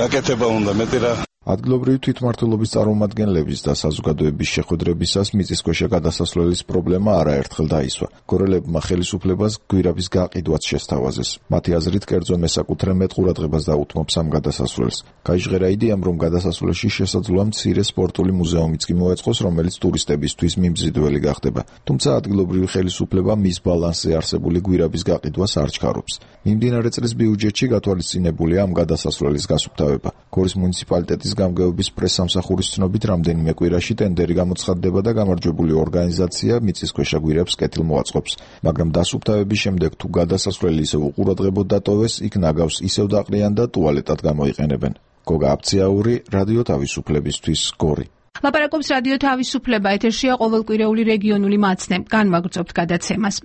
გაკეთება უნდა მეტი რა. ადგილობრივი თვითმმართველობის წარმომადგენლების და საზოგადოების შეხვედრებისას მიწისქვეშა გადასასვლელის პრობლემა არაერთხელ დაისვა. გორელებმა ხელისუფლებას გვირაბის გაყიდვაც შესთავაზეს. მათი აზრით, კერძო მესაკუთრე მეტყურადღებას დაუთმობს ამ გადასასვლელს. გაიჟღერა იდეამ, რომ გადასასვლელში შესაძლოა მცირე სპორტული მუზეუმიც კი მოეწყოს, რომელიც ტურისტებისთვის მიმზიდველი გახდება. თუმცა ადგილობრივი ხელისუფლება მის ბალანსზე არსებული გვირაბის გაყიდვას არ ჩქარობს. მიმდინარე წლის ბიუჯეტში გათვალისწინებულია ამ გადასასვლელის გასუფთავება. გორის მუნიციპალიტეტის გამგეობის პრესსამსახურის ცნობით, რამდენიმე კვირაში ტენდერი გამოცხადდება და გამარჯვებული ორგანიზაცია მიწისქვეშა გვირაბს კეთილმოაწყობს. მაგრამ დასუფთავების შემდეგ თუ გადასასვლელი ისევ უყურადღებოდ დატოვეს, იქ ნაგავს ისევ დაყრიან და ტუალეტად გამოიყენებენ. გოგა აფციაური, რადიო თავისუფლებისთვის, გორი. ლაპარაკობს რადიო თავისუფლება, ეთერშია ყოველკვირეული რეგიონული მაცნე. განვაგრძობთ გადაცემას.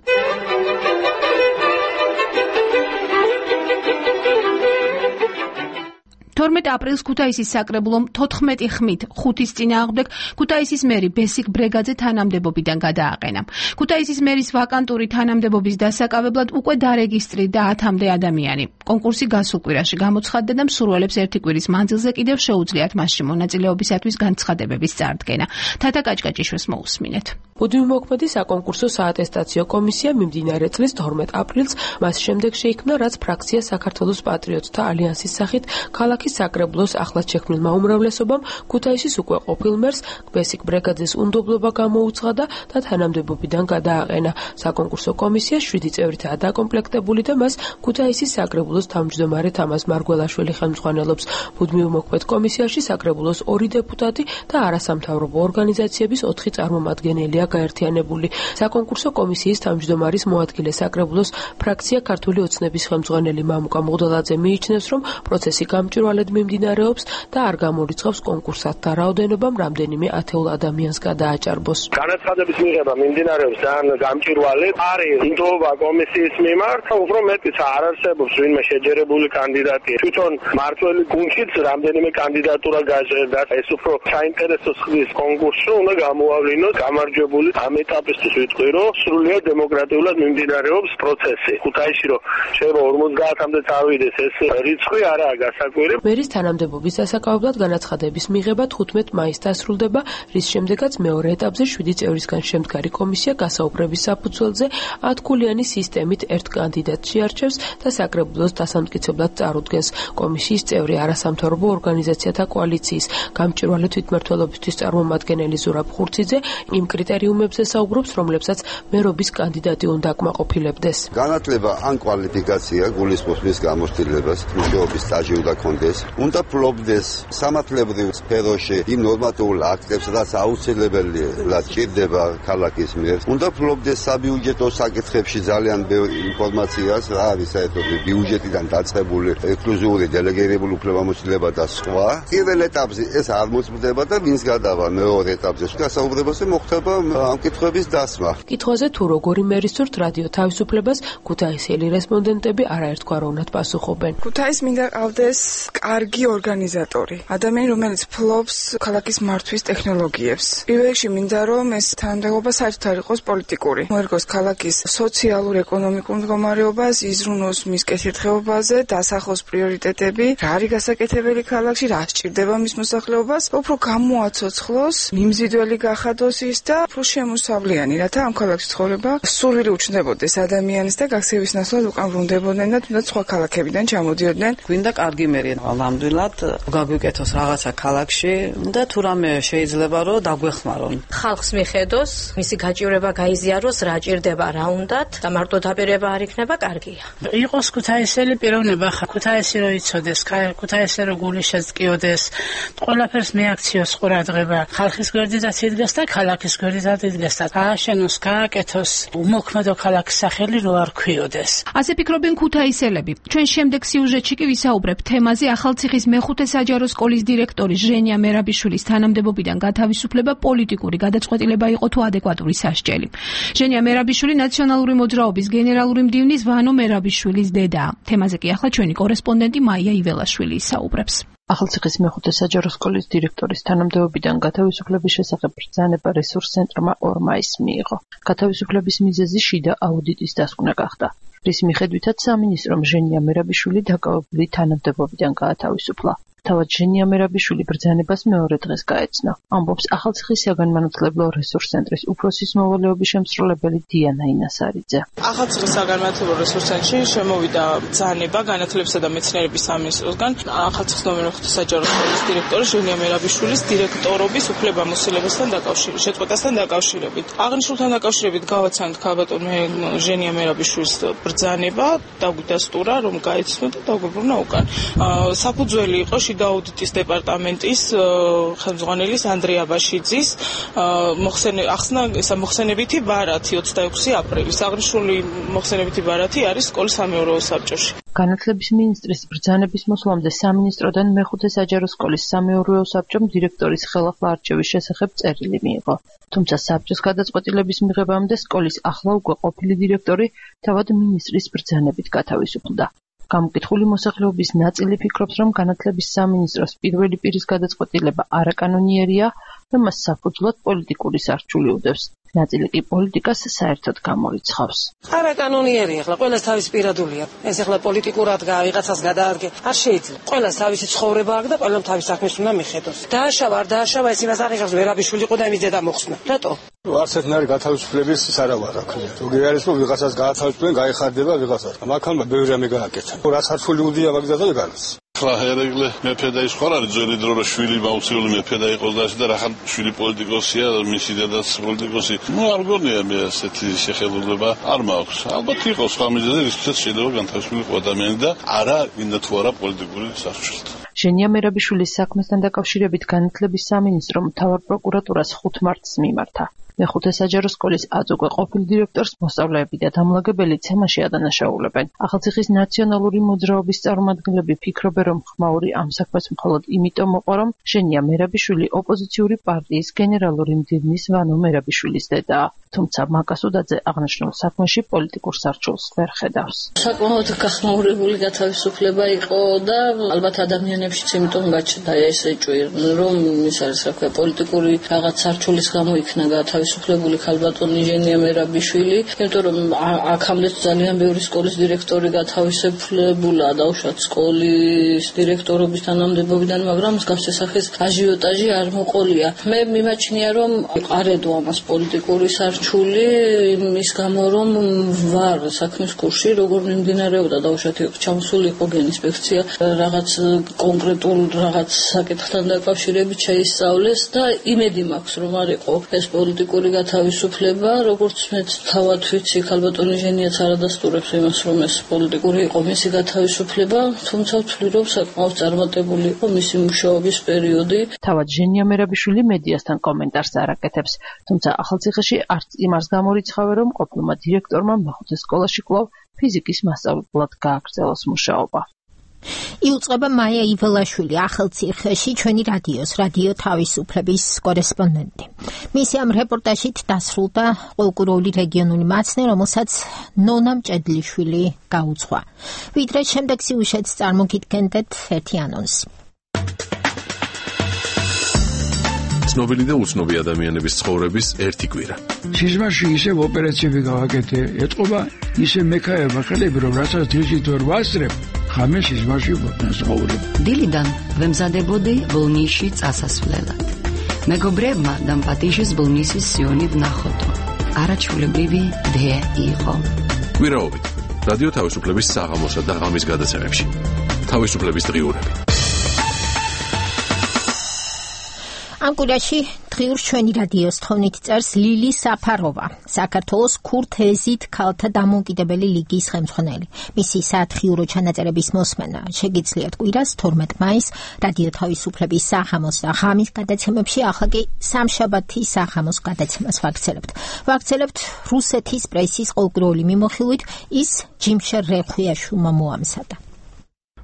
თორმეტ აპრილს ქუთაისის საკრებულომ თოთხმეტი ხმით ხუთის წინააღმდეგ ქუთაისის მერი ბესიკ ბრეგაძე თანამდებობიდან გადააყენა. ქუთაისის მერის ვაკანტური თანამდებობის დასაკავებლად უკვე დარეგისტრირდა ათამდე ადამიანი. კონკურსი გასულ კვირაში გამოცხადდა და მსურველებს ერთი კვირის მანძილზე კიდევ შეუძლიათ მასში მონაწილეობისათვის განცხადებების წარდგენა. თათა კაჭკაჭიშვილს მოусმინეთ. მუდმივმოქმედი საკონკურსო საატესტაციო კომისია მიმდინარე წლის თორმეტ აპრილს მას შემდეგ შეიქმნა, რაც ფრაქცია საქართველოს პატრიოტთა ალიანსის სახით ქალაქის საკრებულოს ახლად შექმნილმა უმრავლესობამ ქუთაისის უკვე ყოფილ მერს ბესიკ ბრეგაძეს უნდობლობა გამოუცხადა და თანამდებობიდან გადააყენა. საკონკურსო კომისია შვიდი წევრითაა დაკომპლექტებული და მას ქუთაისის საკრებულოს თავმჯდომარე თამაზ მარგველაშვილი ხელმძღვანელობს. მუდმივმოქმედ კომისიაში საკრებულოს ორი დეპუტატი და არასამთავრობო ორგანიზაციების ოთხი წარმომადგენელია გაერთიანებული. საკონკურსო კომისიის თავმჯდომარის მოადგილე საკრებულოს ფრაქცია ქართული ოცნების ხელმძღვანელი მამუკა მღვდელაძე მიიჩნევს, რომ პროცესი გამჭვირვალედ მიმდინარეობს და არ გამორიცხავს კონკურსანტთა რაოდენობამ რამდენიმე ათეულ ადამიანს გადააჭარბოს. განაცხადების მიღება მიმდინარეობს ძალიან გამჭვირვალედ. არის ინდოობა კომისიის მიმართ, უფრო მეტიც არ არსებობს ვინმე შეჯერებული კანდიდატი. თვითონ მართველი გუნდშიც რამდენიმე კანდიდატურა გაჟღერდა. ეს უფრო საინტერესო ხდის კონკურსში უნდა გამოავლინოს გამარჯვებული. ამ ეტაპისთვის ვიტყვი, რომ სრულიად დემოკრატიულად მიმდინარეობს პროცესი. ქუთაისში რომ შეიძლება ორმოცდაათამდე წავიდეს, ეს რიცხვი არაა გასაკვირი. მერის თანამდებობის დასაკავებლად განაცხადების მიღება თხუთმეტ მაისს დასრულდება, რის შემდეგაც მეორე ეტაპზე შვიდი წევრისგან შემდგარი კომისია გასაუბრების საფუძველზე ათქულიანი სისტემით ერთ კანდიდატს შეარჩევს და საკრებულოს დასამტკიცებლად წარუდგენს. კომისიის წევრი არასამთავრობო ორგანიზაციათა კოალიციის გამჭვირვალე თვითმმართველობისთვის წარმომადგენელი ზურაბ ხურციძე იმ კრიტერიუმებზე საუბრობს, რომლებსაც მერობის კანდიდატი უნდა აკმაყოფილებდეს. განათლება ან კვალიფიკაცია გულისხმობს მის გამოცდილებას, მუშაობის სტაჟი უნდა კონდეს, უნდა ფლობდეს სამართლებრივ სფეროში იმ ნორმატიულ აქტებს, რაც აუცილებელია ჭირდება ქალაქის მიერ. უნდა ფლობდეს საბიუჯეტო საკითხებში ძალიან ბევრი ინფორმაციას, რა არის საერთოდ ბიუჯეტიდან დაწყებული ექსკლუზიური დელეგირებული უფლებამოსილება და სხვა. პირველ ეტაპზე ეს არ მოწმდება და ვინც გადავა მეორე ეტაპზე, გასაუბრებაზე მოხდება ამ კითხვების დასმა. კითხვაზე თუ როგორი მერის სურთ რადიო თავისუფლებას ქუთაისელი რესპონდენტები არაერთგვაროვნად პასუხობენ. ქუთაის მინდა ყავდეს კარგი ორგანიზატორი, ადამიანი, რომელიც ფლობს ქალაქის მართვის ტექნოლოგიებს. პირველ რიგში მინდა რომ ეს თანამდებობა საერთოდ არ იყოს პოლიტიკური. მოერგოს ქალაქის სოციალურ ეკონომიკურ მდგომარეობას, იზრუნოს მის კეთილდღეობაზე, დასახოს პრიორიტეტები, რა არის გასაკეთებელი ქალაქში, რა სჭირდება მის მოსახლეობას, უფრო გამოაცოცხლოს, მიმზიდველი გახადოს ის და უფრო შემოსავლიანი, რათა ამ ქალაქში ცხოვრება სურვილი უჩნდებოდეს ადამიანის და გაქცევის ნაცვლად უკან ბრუნდებოდნენ და თუნდაც სხვა ქალაქებიდან ჩამოდიოდნენ. გვინდა კარგი მერი, ნამდვილად გაგვიკეთოს რაღაცა ქალაქში და თუ რამე შეიძლება რომ დაგვეხმარონ. ხალხს მიხედოს, მისი გაჭირება გაიზიაროს, რა ჭირდება, რა უნდათ და მარტო დაპირება არ იქნება კარგია. იყოს ქუთაისელი პიროვნება, ქუთაისი რო იცოდეს, ქუთაისი რო გული შეწკიოდეს, ყველაფერს მიაქციოს ყურადღება, ხალხის გვერდითაც იდგეს და ქალაქის გვერდითაც იდგეს და ააშენოს, გააკეთოს უმოქმედო ქალაქის სახელი რო არ ქვიოდეს. ასე ფიქრობენ ქუთაისელები. ჩვენ შემდეგ სიუჟეტში კი ვისაუბრებთ თემაზე ახალციხის მეხუთე საჯარო სკოლის დირექტორის ჟენია მერაბიშვილის თანამდებობიდან გათავისუფლება პოლიტიკური გადაწყვეტილება იყო თუ ადეკვატური სასჯელი. ჟენია მერაბიშვილი ნაციონალური მოძრაობის გენერალური მდივნის ვანო მერაბიშვილის დედაა. თემაზე კი ახლა ჩვენი კორესპონდენტი მაია იველაშვილი ისაუბრებს. ახალციხის მეხუთე საჯარო სკოლის დირექტორის თანამდებობიდან გათავისუფლების შესახებ ბრძანება რესურს ცენტრმა ორ მაისს მიიღო. გათავისუფლების მიზეზი შიდა აუდიტის დასკვნა გახდა, რის მიხედვითაც სამინისტრომ ჟენია მერაბიშვილი დაკავებული თანამდებობიდან გაათავისუფლა. თავად ჟენია მერაბიშვილი ბრძანებას მეორე დღეს გაეცნო. ამბობს ახალციხის საგანმანათლებლო რესურს ცენტრის უფროსის მოვალეობის შემსრულებელი დიანა ინასარიძე. ახალციხის საგანმანათლებლო რესურს ცენტრში შემოვიდა ბრძანება განათლებისა და მეცნიერების სამინისტროსგან ახალციხის ნომერ მეხუთე საჯარო სკოლის დირექტორის ჟენია მერაბიშვილის დირექტორობის უფლებამოსილებასთან დაკავშირებით, შეწყვეტასთან დაკავშირებით. აღნიშნულთან დაკავშირებით გავაცანთ ქალბატონ ჟენია მერაბიშვილის ბრძანება, დაგვიდასტურა, რომ გაეცნო და დაგვიბრუნა უკან. საფუძველი იყო შიდა აუდიტის დეპარტამენტის ხელმძღვანელის ანდრია აბაშიძის ახსნა მოხსენებითი ბარათი ოცდაექვსი აპრილის. აღნიშნული მოხსენებითი ბარათი არის სკოლის სამეურვეო საბჭოში. განათლების მინისტრის ბრძანების მოსვლამდე სამინისტროდან მეხუთე საჯარო სკოლის სამეურვეო საბჭომ დირექტორის ხელახლა არჩევის შესახებ წერილი მიიღო. თუმცა საბჭოს გადაწყვეტილების მიღებამდე სკოლის ახლა უკვე ყოფილი დირექტორი თავად მინისტრის ბრძანებით გათავისუფლდა. გამოკითხული მოსახლეობის ნაწილი ფიქრობს, რომ განათლების სამინისტროს პირველი პირის გადაწყვეტილება არაკანონიერია და მას საფუძვლად პოლიტიკური სარჩული უდევს. ნაწილი კი პოლიტიკას საერთოდ გამორიცხავს. არაკანონიერია, ახლა ყველას თავის პირადულია. ეს ახლა პოლიტიკურად ვიღაცას გადაადგე, არ შეიძლება. ყველას თავისი ცხოვრება აქვს და ყველამ თავის საქმეს უნდა მიხედოს. დააშავა, არ დააშავა, ეს იმას არ იღებს, მერაბიშვილი იყო და იმის დედა მოხსნა. რატო? არც ერთნაირი გათავისუფლების სარავარ აქვს. ზოგი არის რომ ვიღაცას გაათავისუფლენ, გაიხარდება ვიღაცას. მაგალითად ბევრი რამე გააკეთა. რაც არცული უდია მაგდადა განს. ახლა ერეკლე მეფე და ის ხარ არის ძველი დრო რომ შვილი მაუცილული მეფე და იყოს და ასე და რახან შვილი პოლიტიკოსია, მისი დედაც პოლიტიკოსი. ნუ არ გონია მე ასეთი შეხედულება არ მაქვს. ალბათ იყოს სხვა მიზეზი, რისთვისაც შეიძლება განთავისუფლიყო ადამიანი და არა გინდა თუ არა პოლიტიკური სარჩელით. ჟენია მერაბიშვილის საქმესთან დაკავშირებით განათლების სამინისტრომ მთავარ პროკურატურას ხუთ მარტს მიმართა. მეხუთე საჯარო სკოლის აწუყვე ყოფილ დირექტორს მოსწავლეები და დამლაგებელი ცემაში ადანაშაულებენ. ახალციხის ნაციონალური მოძრაობის წარმომადგენლები ფიქრობენ, რომ ხმაური ამ საქმეს მხოლოდ იმიტომ მოყვა, რომ ჟენია მერაბიშვილი ოპოზიციური პარტიის გენერალური მდივნის ვანო მერაბიშვილის დედაა. თუმცა მაკასუდაძე აღნიშნულ საქმეში პოლიტიკურ სარჩულს ვერ ხედავს. საკმაოდ გახმაურებული გათავისუფლება იყო და ალბათ ადამიანებშიც იმიტომ გაჩნდა ეს ეჭვი, რომ ის არის რა ქვია პოლიტიკური რაღაც სარჩულის გამო იქნა გათავისუფლებული ქალბატონი ჟენია მერაბიშვილი, იმიტომ რომ აქამდე ძალიან ბევრი სკოლის დირექტორი გათავისუფლებულა დაუშვათ სკოლის დირექტორობის თანამდებობიდან, მაგრამ მსგავსი სახის აჟიოტაჟი არ მოყოლია. მე მიმაჩნია, რომ არ ედო ამას პოლიტიკური სარჩული იმის გამო, რომ ვარ საქმის კურსში, როგორ მიმდინარეობდა დაუშვათ ჩამოსული იყო გენინსპექცია, რაღაც კონკრეტულ რაღაც საკითხთან დაკავშირებით შეისწავლეს და იმედი მაქვს, რომ არ იყო ეს პოლიტიკური გათავისუფლება, როგორც მეც თავად ვიცი, ქალბატონი ჟენიაც არ ადასტურებს იმას, რომ ეს პოლიტიკური იყო მისი გათავისუფლება, თუმცა ვთვლი, რომ საკმაოდ წარმატებული იყო მისი მუშაობის პერიოდი. თავად ჟენია მერაბიშვილი მედიასთან კომენტარს არ აკეთებს, თუმცა ახალციხეში არც იმას გამორიცხავენ, რომ ყოფილმა დირექტორმა მეხუთე სკოლაში კვლავ ფიზიკის მასწავლებლად გააგრძელოს მუშაობა. იუწყება მაია იველაშვილი ახალციხეში, ჩვენი რადიოს რადიო თავისუფლების კორესპონდენტი. მისი ამ რეპორტაჟით დასრულდა ყოლკუროული რეგიონული მაცნე, რომელსაც ნონა მჭედლიშვილი გაუძღვა. ვიდრე შემდეგ სიუჟეტს წარმოგიდგენდეთ ერთი ანონსი. ცნობილი და უცნობი ადამიანების ცხოვრების ერთი კვირა. სიზმარში ისევ ოპერაციები გავაკეთე, ეთყობა ისე მექაება ხელები, რომ რასაც დილით ვერ ვასწრებ, ხამე სიზმარში ვცხოვრობ. დილიდან ვემზადებოდი ბოლნისში წასასვლელად. მეგობრებმა დამპატიჟეს ბოლნისის სიონი ვნახოდო. არაჩვეულებრივი დე იყო. კვირაობით რადიო თავისუფლების საღამოსა და ღამის გადაცემებში. თავისუფლების დღიურები. ამ კვირაში დღიურს ჩვენი რადიოს თხოვნით წერს ლილი საფაროვა, საქართველოს ქურთეზით ქალთა დამოუკიდებელი ლიგის ხელმძღვანელი. მისი სათხიურო ჩანაწერების მოსმენა შეგიძლიათ კვირას თორმეტ მაისს რადიო თავისუფლების საღამოს და ღამის გადაცემებში, ახლა კი სამშაბათის საღამოს გადაცემას ვაგრძელებთ. ვაგრძელებთ რუსეთის პრესის ყოლკუროული მიმოხილვით, ის ჯიმშერ რეხვიაშვილმა მოამზადა.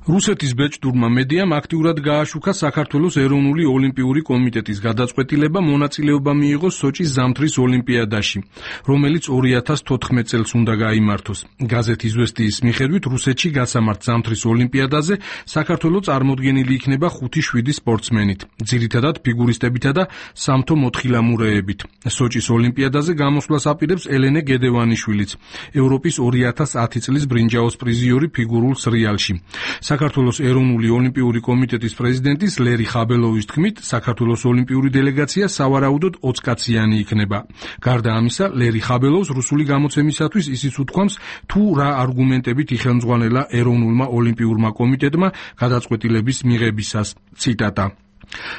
რუსეთის ბეჭდურმა მედიამ აქტიურად გააშუქა საქართველოს ეროვნული ოლიმპიური კომიტეტის გადაწყვეტილება მონაწილეობა მიიღოს სოჭის ზამთრის ოლიმპიადაში, რომელიც ორი ათას თოთხმეტ წელს უნდა გაიმართოს. გაზეთ „იზვესტიის“ მიხედვით, რუსეთში გასამართ ზამთრის ოლიმპიადაზე საქართველო წარმოდგენილი იქნება ხუთი შვიდი სპორტსმენით, ძირითადად ფიგურისტებითა და სამთო მოთხილამურეებით. სოჭის ოლიმპიადაზე გამოსვლას აპირებს ელენე გედევანიშვილიც, ევროპის ორი ათას ათი წლის ბრინჯაოს პრიზიორი ფიგურულ სრიალში. საქართველოს ეროვნული ოლიმპიური კომიტეტის პრეზიდენტის ლერი ხაბელოვის თქმით, საქართველოს ოლიმპიური დელეგაცია სავარაუდოდ ოცკაციანი იქნება. გარდა ამისა, ლერი ხაბელოვს რუსული გამოცემისათვის ისიც უთქვამს, თუ რა არგუმენტებით იხელმძღვანელა ეროვნულმა ოლიმპიურმა კომიტეტმა გადაწყვეტილების მიღებისას. ციტატა: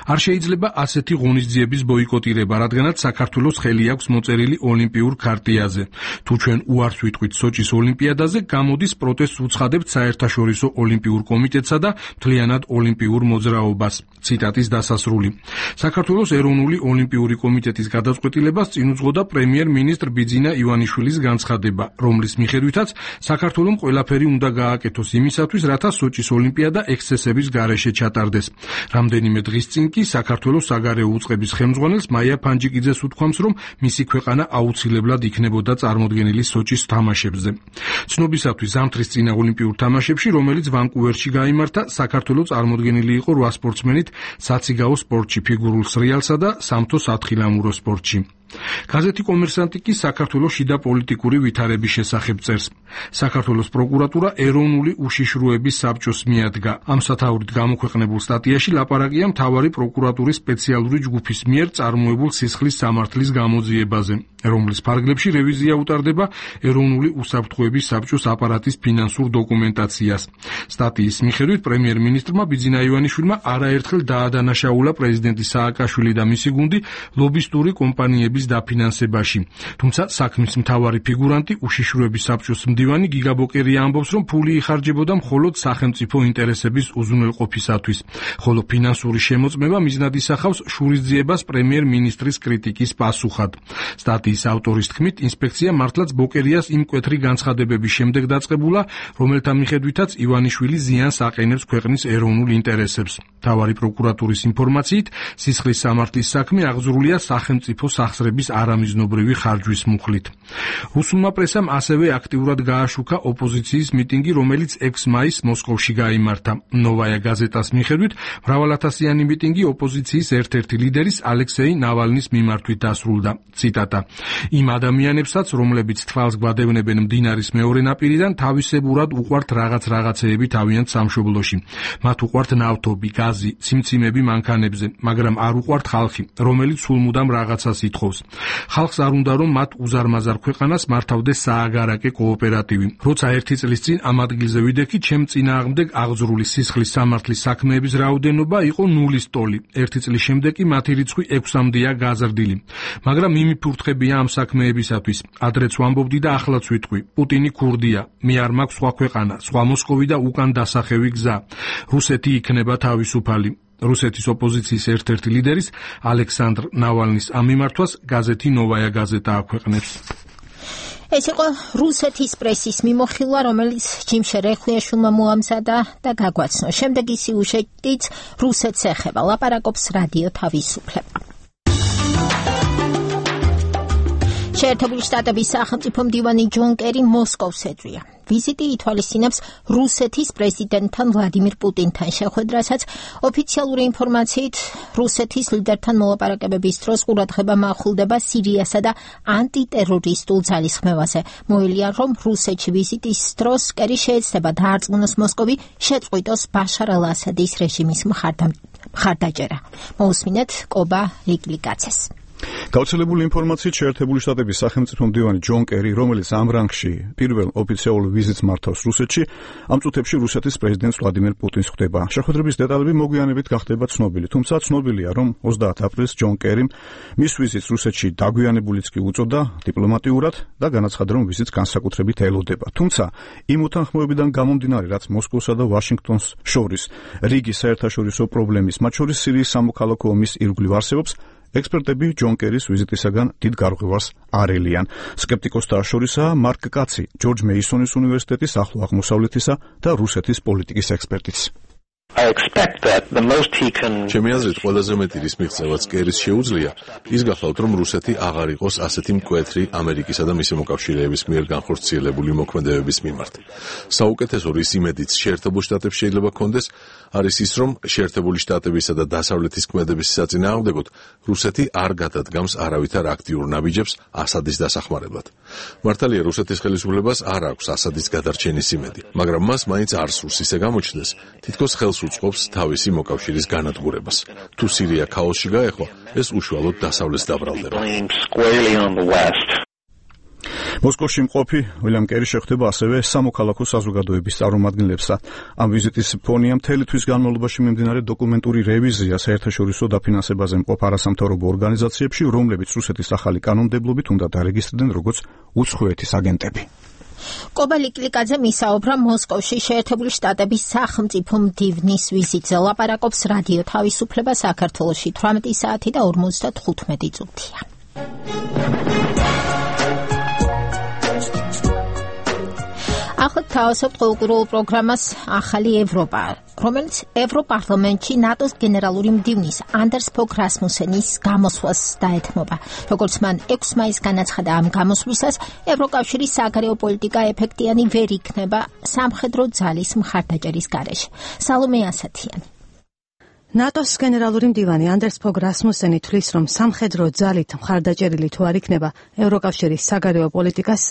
არ შეიძლება ასეთი ღონისძიების ბოიკოტირება, რადგანაც საქართველოს ხელი აქვს მოწერილი ოლიმპიურ ქარტიაზე. თუ ჩვენ უარს ვიტყვით სოჭის ოლიმპიადაზე, გამოდის პროტესტს უცხადებთ საერთაშორისო ოლიმპიურ კომიტეტსა და მთლიანად ოლიმპიურ მოძრაობას. ციტატის დასასრული. საქართველოს ეროვნული ოლიმპიური კომიტეტის გადაწყვეტილებას წინ უძღოდა პრემიერ-მინისტრ ბიძინა ივანიშვილის განცხადება, რომლის მიხედვითაც საქართველომ ყველაფერი უნდა გააკეთოს იმისათვის, რათა სოჭის ოლიმპიადა ექსცესების გარეშე ჩატარდეს. რამდენიმე დღის წინ კი საქართველოს საგარეო უწყების ხელმძღვანელს მაია ფანჯიკიძეს უთქვამს, რომ მისი ქვეყანა აუცილებლად იქნებოდა წარმოდგენილი სოჭის თამაშებზე. ცნობისათვის ზამთრის წინა ოლიმპიურ თამაშებში, რომელიც ვანკუვერში გაიმართა, საქართველო წარმოდგენილი იყო რვა სპორტსმენით საციგაო სპორტში, ფიგურულ სრიალსა და სამთო სათხილამურო სპორტში. გაზეთი „კომერსანტი“ კი საქართველოს შიდა პოლიტიკური ვითარების შესახებ წერს. საქართველოს პროკურატურა ეროვნული უშიშროების საბჭოს მიადგა. ამ სათაურით გამოქვეყნებულ სტატიაში ლაპარაკია მთავარი პროკურატურის სპეციალური ჯგუფის მიერ წარმოებულ სისხლის სამართლის გამოძიებაზე, რომლის ფარგლებში რევიზია უტარდება ეროვნული უსაფრთხოების საბჭოს აპარატის ფინანსურ დოკუმენტაციას. სტატიის მიხედვით, პრემიერ-მინისტრმა ბიძინა ივანიშვილმა არაერთხელ დაადანაშაულა პრეზიდენტი სააკაშვილი და მისი გუნდი ლობისტური კომპანიების დაფინანსებაში. თუმცა საქმის მთავარი ფიგურანტი, უშიშროების საბჭოს მდივანი გიგა ბოკერია ამბობს, რომ ფული იხარჯებოდა მხოლოდ სახელმწიფო ინტერესების უზრუნველყოფისათვის, ხოლო ფინანსური შემოწმება მიზნად ისახავს შურისძიებას პრემიერ-მინისტრის კრიტიკის პასუხად. სტატიის ავტორის თქმით, ინსპექცია მართლაც ბოკერიას იმ მკვეთრი განცხადებების შემდეგ დაწყებულა, რომელთა მიხედვითაც ივანიშვილი ზიანს აყენებს ქვეყნის ეროვნულ ინტერესებს. მთავარი პროკურატურის ინფორმაციით, სისხლის სამართლის საქმე აღძრულია სახელმწიფო სახსრების არამიზნობრივი ხარჯვის მუხლით. რუსულმა პრესამ ასევე აქტიურად გააშუქა ოპოზიციის მიტინგი, რომელიც ექვსი მაისს მოსკოვში გაიმართა. ნოვაია გაზეტას მიხედვით, მრავალათასიანი მიტინგი ოპოზიციის ერთ-ერთი ლიდერის ალექსეი ნავალნის მიმართვით დასრულდა. ციტატა: იმ ადამიანებსაც, რომლებიც თვალს გვადევნებენ მდინარის მეორე ნაპირიდან, თავისებურად უყვართ რაღაც რაღაცეები თავიანთ სამშობლოში. მათ უყვართ ნავთობი, გაზი, ციმციმები მანქანებზე, მაგრამ არ უყვართ ხალხი, რომელიც სულ მუდამ რაღაცას ითხოვს. ხალხს არ უნდა, რომ მათ უზარმაზარ ქვეყანას მართავდეს სააგარაკე კოოპერატივი. როცა ერთი წლის წინ ამ ადგილზე ვიდექი, ჩემ წინააღმდეგ აღძრული სისხლის სამართლის საქმეების რაოდენობა იყო ნულის ტოლი. ერთი წლის შემდეგ კი მათი რიცხვი ექვსამდეა გაზრდილი. მაგრამ მიმიფურთხებია ამ საქმეებისათვის. ადრეც ვამბობდი და ახლაც ვიტყვი. პუტინი ქურდია. მე არ მაქვს სხვა ქვეყანა, სხვა მოსკოვი და უკან დასახევი გზა. რუსეთი იქნება თავისუფალი. რუსეთის ოპოზიციის ერთ-ერთი ლიდერის ალექსანდრ ნავალნის ამ მიმართვას გაზეთი „ნოვაია გაზეტა“ აქვეყნებს. ეს იყო რუსეთის პრესის მიმოხილვა, რომელიც ჯიმ შერეხლიაშვილმა მოამზადა და გაგვაცნო. შემდეგი სიუჟეტიც რუსეთს ეხება, ლაპარაკობს რადიო თავისუფლება. შეერთებული შტატების სახელმწიფო მდივანი ჯონ კერი მოსკოვს ეძვია. ვიზიტი ითვალისწინებს რუსეთის პრეზიდენტთან ვლადიმირ პუტინთან შეხვედრასაც ოფიციალური ინფორმაციით რუსეთის ლიდერთან მოლაპარაკებების დროს ყურადღება მაახულდება სირიასა და ანტიტერორისტულ ძალისხმევაზე. მოელიან, რომ რუსეთში ვიზიტის დროს კერი შეეცდება დაარწმუნოს მოსკოვი შეწყვიტოს ბაშარ ალ-ასადის რეჟიმის მხარდაჭერა. მოусმინეთ კობა ლიკლიკაცეს. გავრცელებული ინფორმაციით შეერთებული შტატების სახელმწიფო მდივანი ჯონ კერი, რომელიც ამ რანგში პირველ ოფიციალურ ვიზიტს მართავს რუსეთში, ამ წუთებში რუსეთის პრეზიდენტს ვლადიმირ პუტინს ხვდება. შეხვედრების დეტალები მოგვიანებით გახდება ცნობილი, თუმცა ცნობილია, რომ ოცდაათი აპრილს ჯონ კერიმ მის ვიზიტს რუსეთში დაგვიანებულიც კი უწოდა დიპლომატიურად და განაცხადა, რომ ვიზიტს განსაკუთრებით ელოდება. თუმცა იმ უთანხმოებიდან გამომდინარე, რაც მოსკოვსა და ვაშინგტონს შორის რიგი საერთაშორისო პრობლემის, მათ შორის სირიის სამოქალაქო ომის ირგვლივ არსებობს, ექსპერტები ჯონ კერის ვიზიტისაგან დიდ გარღვევას არ ელიან. სკეპტიკოსთა შორისაა მარკ კაცი, ჯორჯ მეისონის უნივერსიტეტის ახლო აღმოსავლეთისა და რუსეთის პოლიტიკის ექსპერტიც. I expect that the most he can ჩემი აზრით ყველაზე მეტი რის მიღწევაც კერის შეუძლია ის გახლავთ რომ რუსეთი აღარ იყოს ასეთი მკვეთრი ამერიკისა და მისი მოკავშირეების მიერ განხორციელებული მოქმედებების მიმართ. საუკეთესო რის იმედიც შეერთებულ შტატებს შეიძლება კონდეს არის ის რომ შეერთებული შტატებისა და დასავლეთის ქმედების საწინააღმდეგოდ რუსეთი არ გადადგამს არავითარ აქტიურ ნაბიჯებს ასადის დასახმარებლად. მართალია რუსეთის ხელისუფლებას არ აქვს ასადის გადარჩენის იმედი, მაგრამ მას მაინც არ სურს ისე გამოჩნდეს, თითქოს ხელს უწყობს თავისი მოკავშირის განადგურებას. თუ სირია ქაოსში გაეხო, ეს უშუალოდ დასავლეთს დაბრალდება. მოსკოვში მყოფი უილიამ კერი შეხვდება ასევე სამოქალაქო საზოგადოების წარმომადგენლებსა. ამ ვიზიტის ფონია მთელი თვის განმავლობაში მიმდინარე დოკუმენტური რევიზია საერთაშორისო დაფინანსებაზე მყოფ არასამთავრობო ორგანიზაციებში, რომლებიც რუსეთის ახალი კანონმდებლობით უნდა დარეგისტრდნენ როგორც უცხოეთის აგენტები. კობა ლიკლიკაძე მისაუბრა მოსკოვში შეერთებული შტატების სახელმწიფო მდივნის ვიზიტზე. ლაპარაკობს რადიო თავისუფლება საქართველოში თვრამეტი საათი და ორმოცდათხუთმეტი წუთია. ახლა თავისუფლ ყოველკვირეულ პროგრამას ახალი ევროპა, რომელიც ევროპარლამენტში ნატოს გენერალური მდივნის ანდერს ფოგ რასმუსენის გამოსვლას დაეთმობა. როგორც მან ექვსი მაისს განაცხადა, ამ გამოსვლისას ევროკავშირის საგარეო პოლიტიკა ეფექტიანი ვერ იქნება სამხედრო ძალის მხარდაჭერის გარეშე. სალომე ასათიანი. ნატოს გენერალური მდივანი ანდერს ფოგ რასმუსენი თვლის, რომ სამხედრო ძალით მხარდაჭერილი თუ არ იქნება ევროკავშირის საგარეო პოლიტიკას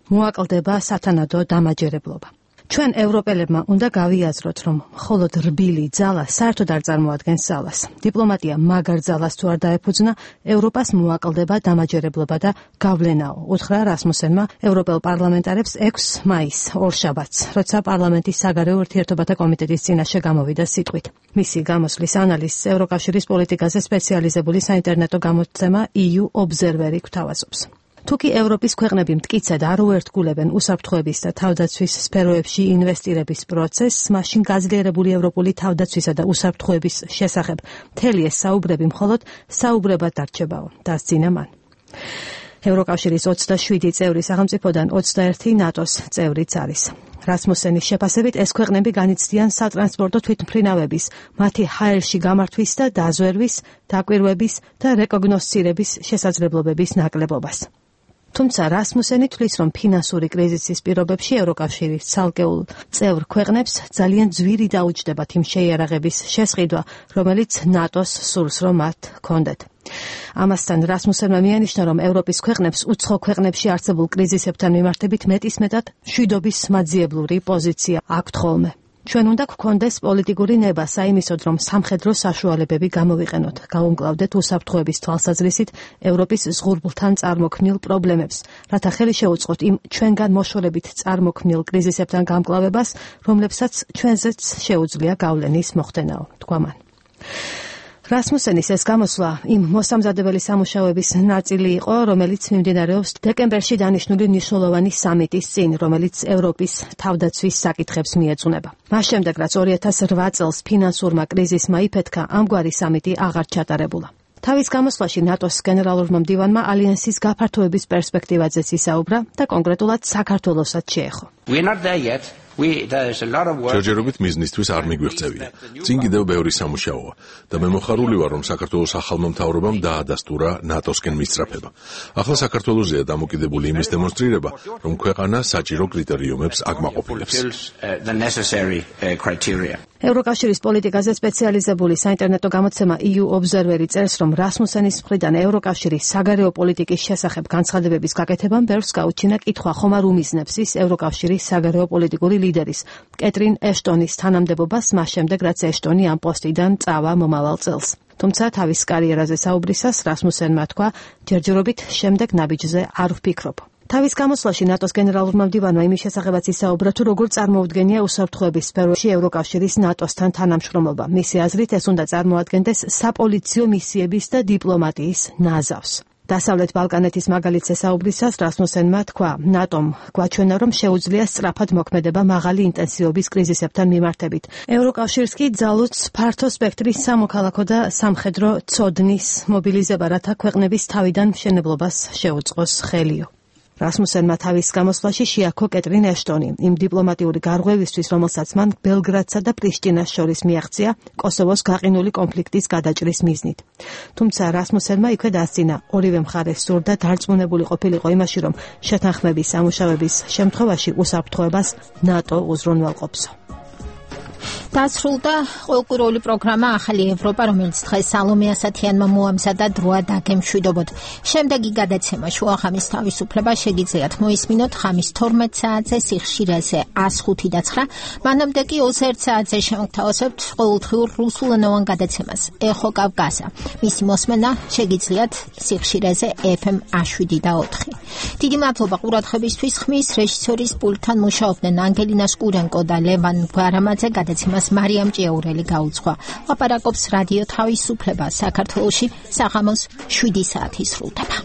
მოაკლდება სათანადო დამაჯერებლობა. ჩვენ ევროპელებმა უნდა გავიაზროთ, რომ მხოლოდ რბილი ძალა საერთოდ არ წარმოადგენს ძალას. დიპლომატია მაგარ ძალას თუ არ დაეფუძნა, ევროპას მოაკლდება დამაჯერებლობა და გავლენაო, უთხრა რასმუსენმა ევროპელ პარლამენტარებს ექვსი მაისს, ორშაბათს, როცა პარლამენტის საგარეო ურთიერთობათა კომიტეტის წინაშე გამოვიდა სიტყვით. მისი გამოსვლის ანალიზს ევროკავშირის პოლიტიკაზე სპეციალიზებული საინტერნეტო გამოცემა ი იუ ობზერვერი გვთავაზობს. თუკი ევროპის ქვეყნები მტკიცედ არ უერთგულებენ უსაფრთხოების და თავდაცვის სფეროებში ინვესტირების პროცესს, მაშინ გაძლიერებული ევროპული თავდაცვისა და უსაფრთხოების შესახებ მთელი ეს საუბრები მხოლოდ საუბრებად დარჩებაო, დასძინა მან. ევროკავშირის ოცდაშვიდი წევრი სახელმწიფოდან ოცდაერთი ნატოს წევრიც არის. რასმუსენის შეფასებით ეს ქვეყნები განიცდიან სატრანსპორტო თვითმფრინავების, მათი ჰაერში გამართვის და დაზვერვის, დაკვირვების და რეკოგნოსცირების შესაძლებლობების ნაკლებობას. თუმცა რასმუსენი თვლის, რომ ფინანსური კრიზისის პირობებში ევროკავშირის ცალკეულ წევრ ქვეყნებს ძალიან ძვირი დაუჯდებათ იმ შეიარაღების შესყიდვა, რომელიც ნატოს სურს, რომ მათ ჰქონდეთ. ამასთან რასმუსენმა მიანიშნა, რომ ევროპის ქვეყნებს უცხო ქვეყნებში არსებულ კრიზისებთან მიმართებით მეტისმეტად მშვიდობის მაძიებლური პოზიცია აქვთ ხოლმე. ჩვენ უნდა გქონდეს პოლიტიკური ნება საიმისოდ, რომ სამხედრო საშუალებები გამოვიყენოთ, გავუმკლავდეთ უსაფრთხოების თვალსაზრისით ევროპის ზღურბლთან წარმოქმნილ პრობლემებს, რათა ხელი შეუწყოთ იმ ჩვენგან მოშორებით წარმოქმნილ კრიზისებთან გამკლავებას, რომლებსაც ჩვენზეც შეუძლია გავლენის მოხდენაო, თქვა მან. რასმუსენის ეს გამოსვლა იმ მოსამზადებელი სამუშაოების ნაწილი იყო, რომელიც მიმდინარეობს დეკემბერში დანიშნული მნიშვნელოვანი სამიტის წინ, რომელიც ევროპის თავდაცვის საკითხებს მიეძღვნება. მას შემდეგ, რაც ორი ათას რვა წელს ფინანსურმა კრიზისმა იფეთქა, ამგვარი სამიტი აღარ ჩატარებულა. თავის გამოსვლაში ნატოს გენერალურმა მდივანმა ალიანსის გაფართოების პერსპექტივაზეც ისაუბრა და კონკრეტულად საქართველოსაც შეეხო. ჯერჯერობით მიზნისთვის არ მიგვიღწევია. წინ კიდევ ბევრი სამუშაოა და მე მოხარული ვარ, რომ საქართველოს ახალმა მთავრობამ დაადასტურა ნატოსკენ მისწრაფება. ახლა საქართველოსზეა დამოკიდებული იმის დემონსტრირება, რომ ქვეყანა საჭირო კრიტერიუმებს აკმაყოფილებს. ევროკავშირის პოლიტიკაზე სპეციალიზებული საინტერნეტო გამოცემა ი იუ ობზერვერი წერს, რომ რასმუსენის მხრიდან ევროკავშირის საგარეო პოლიტიკის შესახებ განცხადებების გაკეთებამ ბევრს გაუჩინა კითხვა, ხომ არ უმიზნებს ის ევროკავშირის საგარეო პოლიტიკური ლიდერის კეტრინ ეშტონის თანამდებობას მას შემდეგ, რაც ეშტონი ამ პოსტიდან წავა მომავალ წელს. თუმცა თავის კარიერაზე საუბრისას რასმუსენმა თქვა, ჯერჯერობით შემდეგ ნაბიჯზე არ ვფიქრობ. თავის გამოსვლაში ნატოს გენერალურმა მდივანმა იმის შესახებაც ისაუბრა, თუ როგორ წარმოუდგენია უსაფრთხოების სფეროში ევროკავშირის ნატოსთან თანამშრომლობა. მისი აზრით, ეს უნდა წარმოადგენდეს საპოლიციო მისიების და დიპლომატიის ნაზავს. დასავლეთ ბალკანეთის მაგალითზე საუბრისას რასმუსენმა თქვა, ნატომ გვაჩვენა, რომ შეუძლია სწრაფად მოქმედება მაღალი ინტენსივობის კრიზისებთან მიმართებით. ევროკავშირს კი ძალუძს ფართო სპექტრის სამოქალაქო და სამხედრო ცოდნის მობილიზება, რათა ქვეყნების თავიდან მშენებლობას შეუწყოს ხელიო. რასმუსენმა თავის გამოსვლაში შეაქო კეტრინ ეშტონი იმ დიპლომატიური გარღვევისთვის, რომელსაც მან ბელგრადსა და პრიშტინას შორის მიაღწია კოსოვოს გაყინული კონფლიქტის გადაჭრის მიზნით. თუმცა რასმუსენმა იქვე დასძინა, ორივე მხარეს სურდა დარწმუნებული ყოფილიყო იმაში, რომ შეთანხმების სამუშაოების შემთხვევაში უსაფრთხოებას ნატო უზრუნველყოფსო. დასრულდა ყოველკვირეული პროგრამა ახალი ევროპა, რომელიც დღეს სალომე ასათიანმა მოამზადა დროა დაგემშვიდობოთ. შემდეგი გადაცემა შუახამის თავისუფლება შეგიძლიათ მოისმინოთ ხამის თორმეტ საათზე სიხშირეზე ას ხუთი და ცხრა. მანამდე კი ოცი საათზე შემოგთავაზებთ ყოველდღიურ რუსულენოვან გადაცემას ეხო კავკასია. მისი მოსმენა შეგიძლიათ სიხშირეზე ეფ ემ შვიდი და ოთხი. დიდი მადლობა ყურადღებისთვის. ხმის რეჟისორის პულტთან მუშაობდნენ ანგელინა სკურენკო და ლევან გვარამაძე. გადაცემას მარიამ ჭიაურელი გაუძღვა. ლაპარაკობს რადიო თავისუფლება საქართველოში საღამოს შვიდი საათი სრულდება.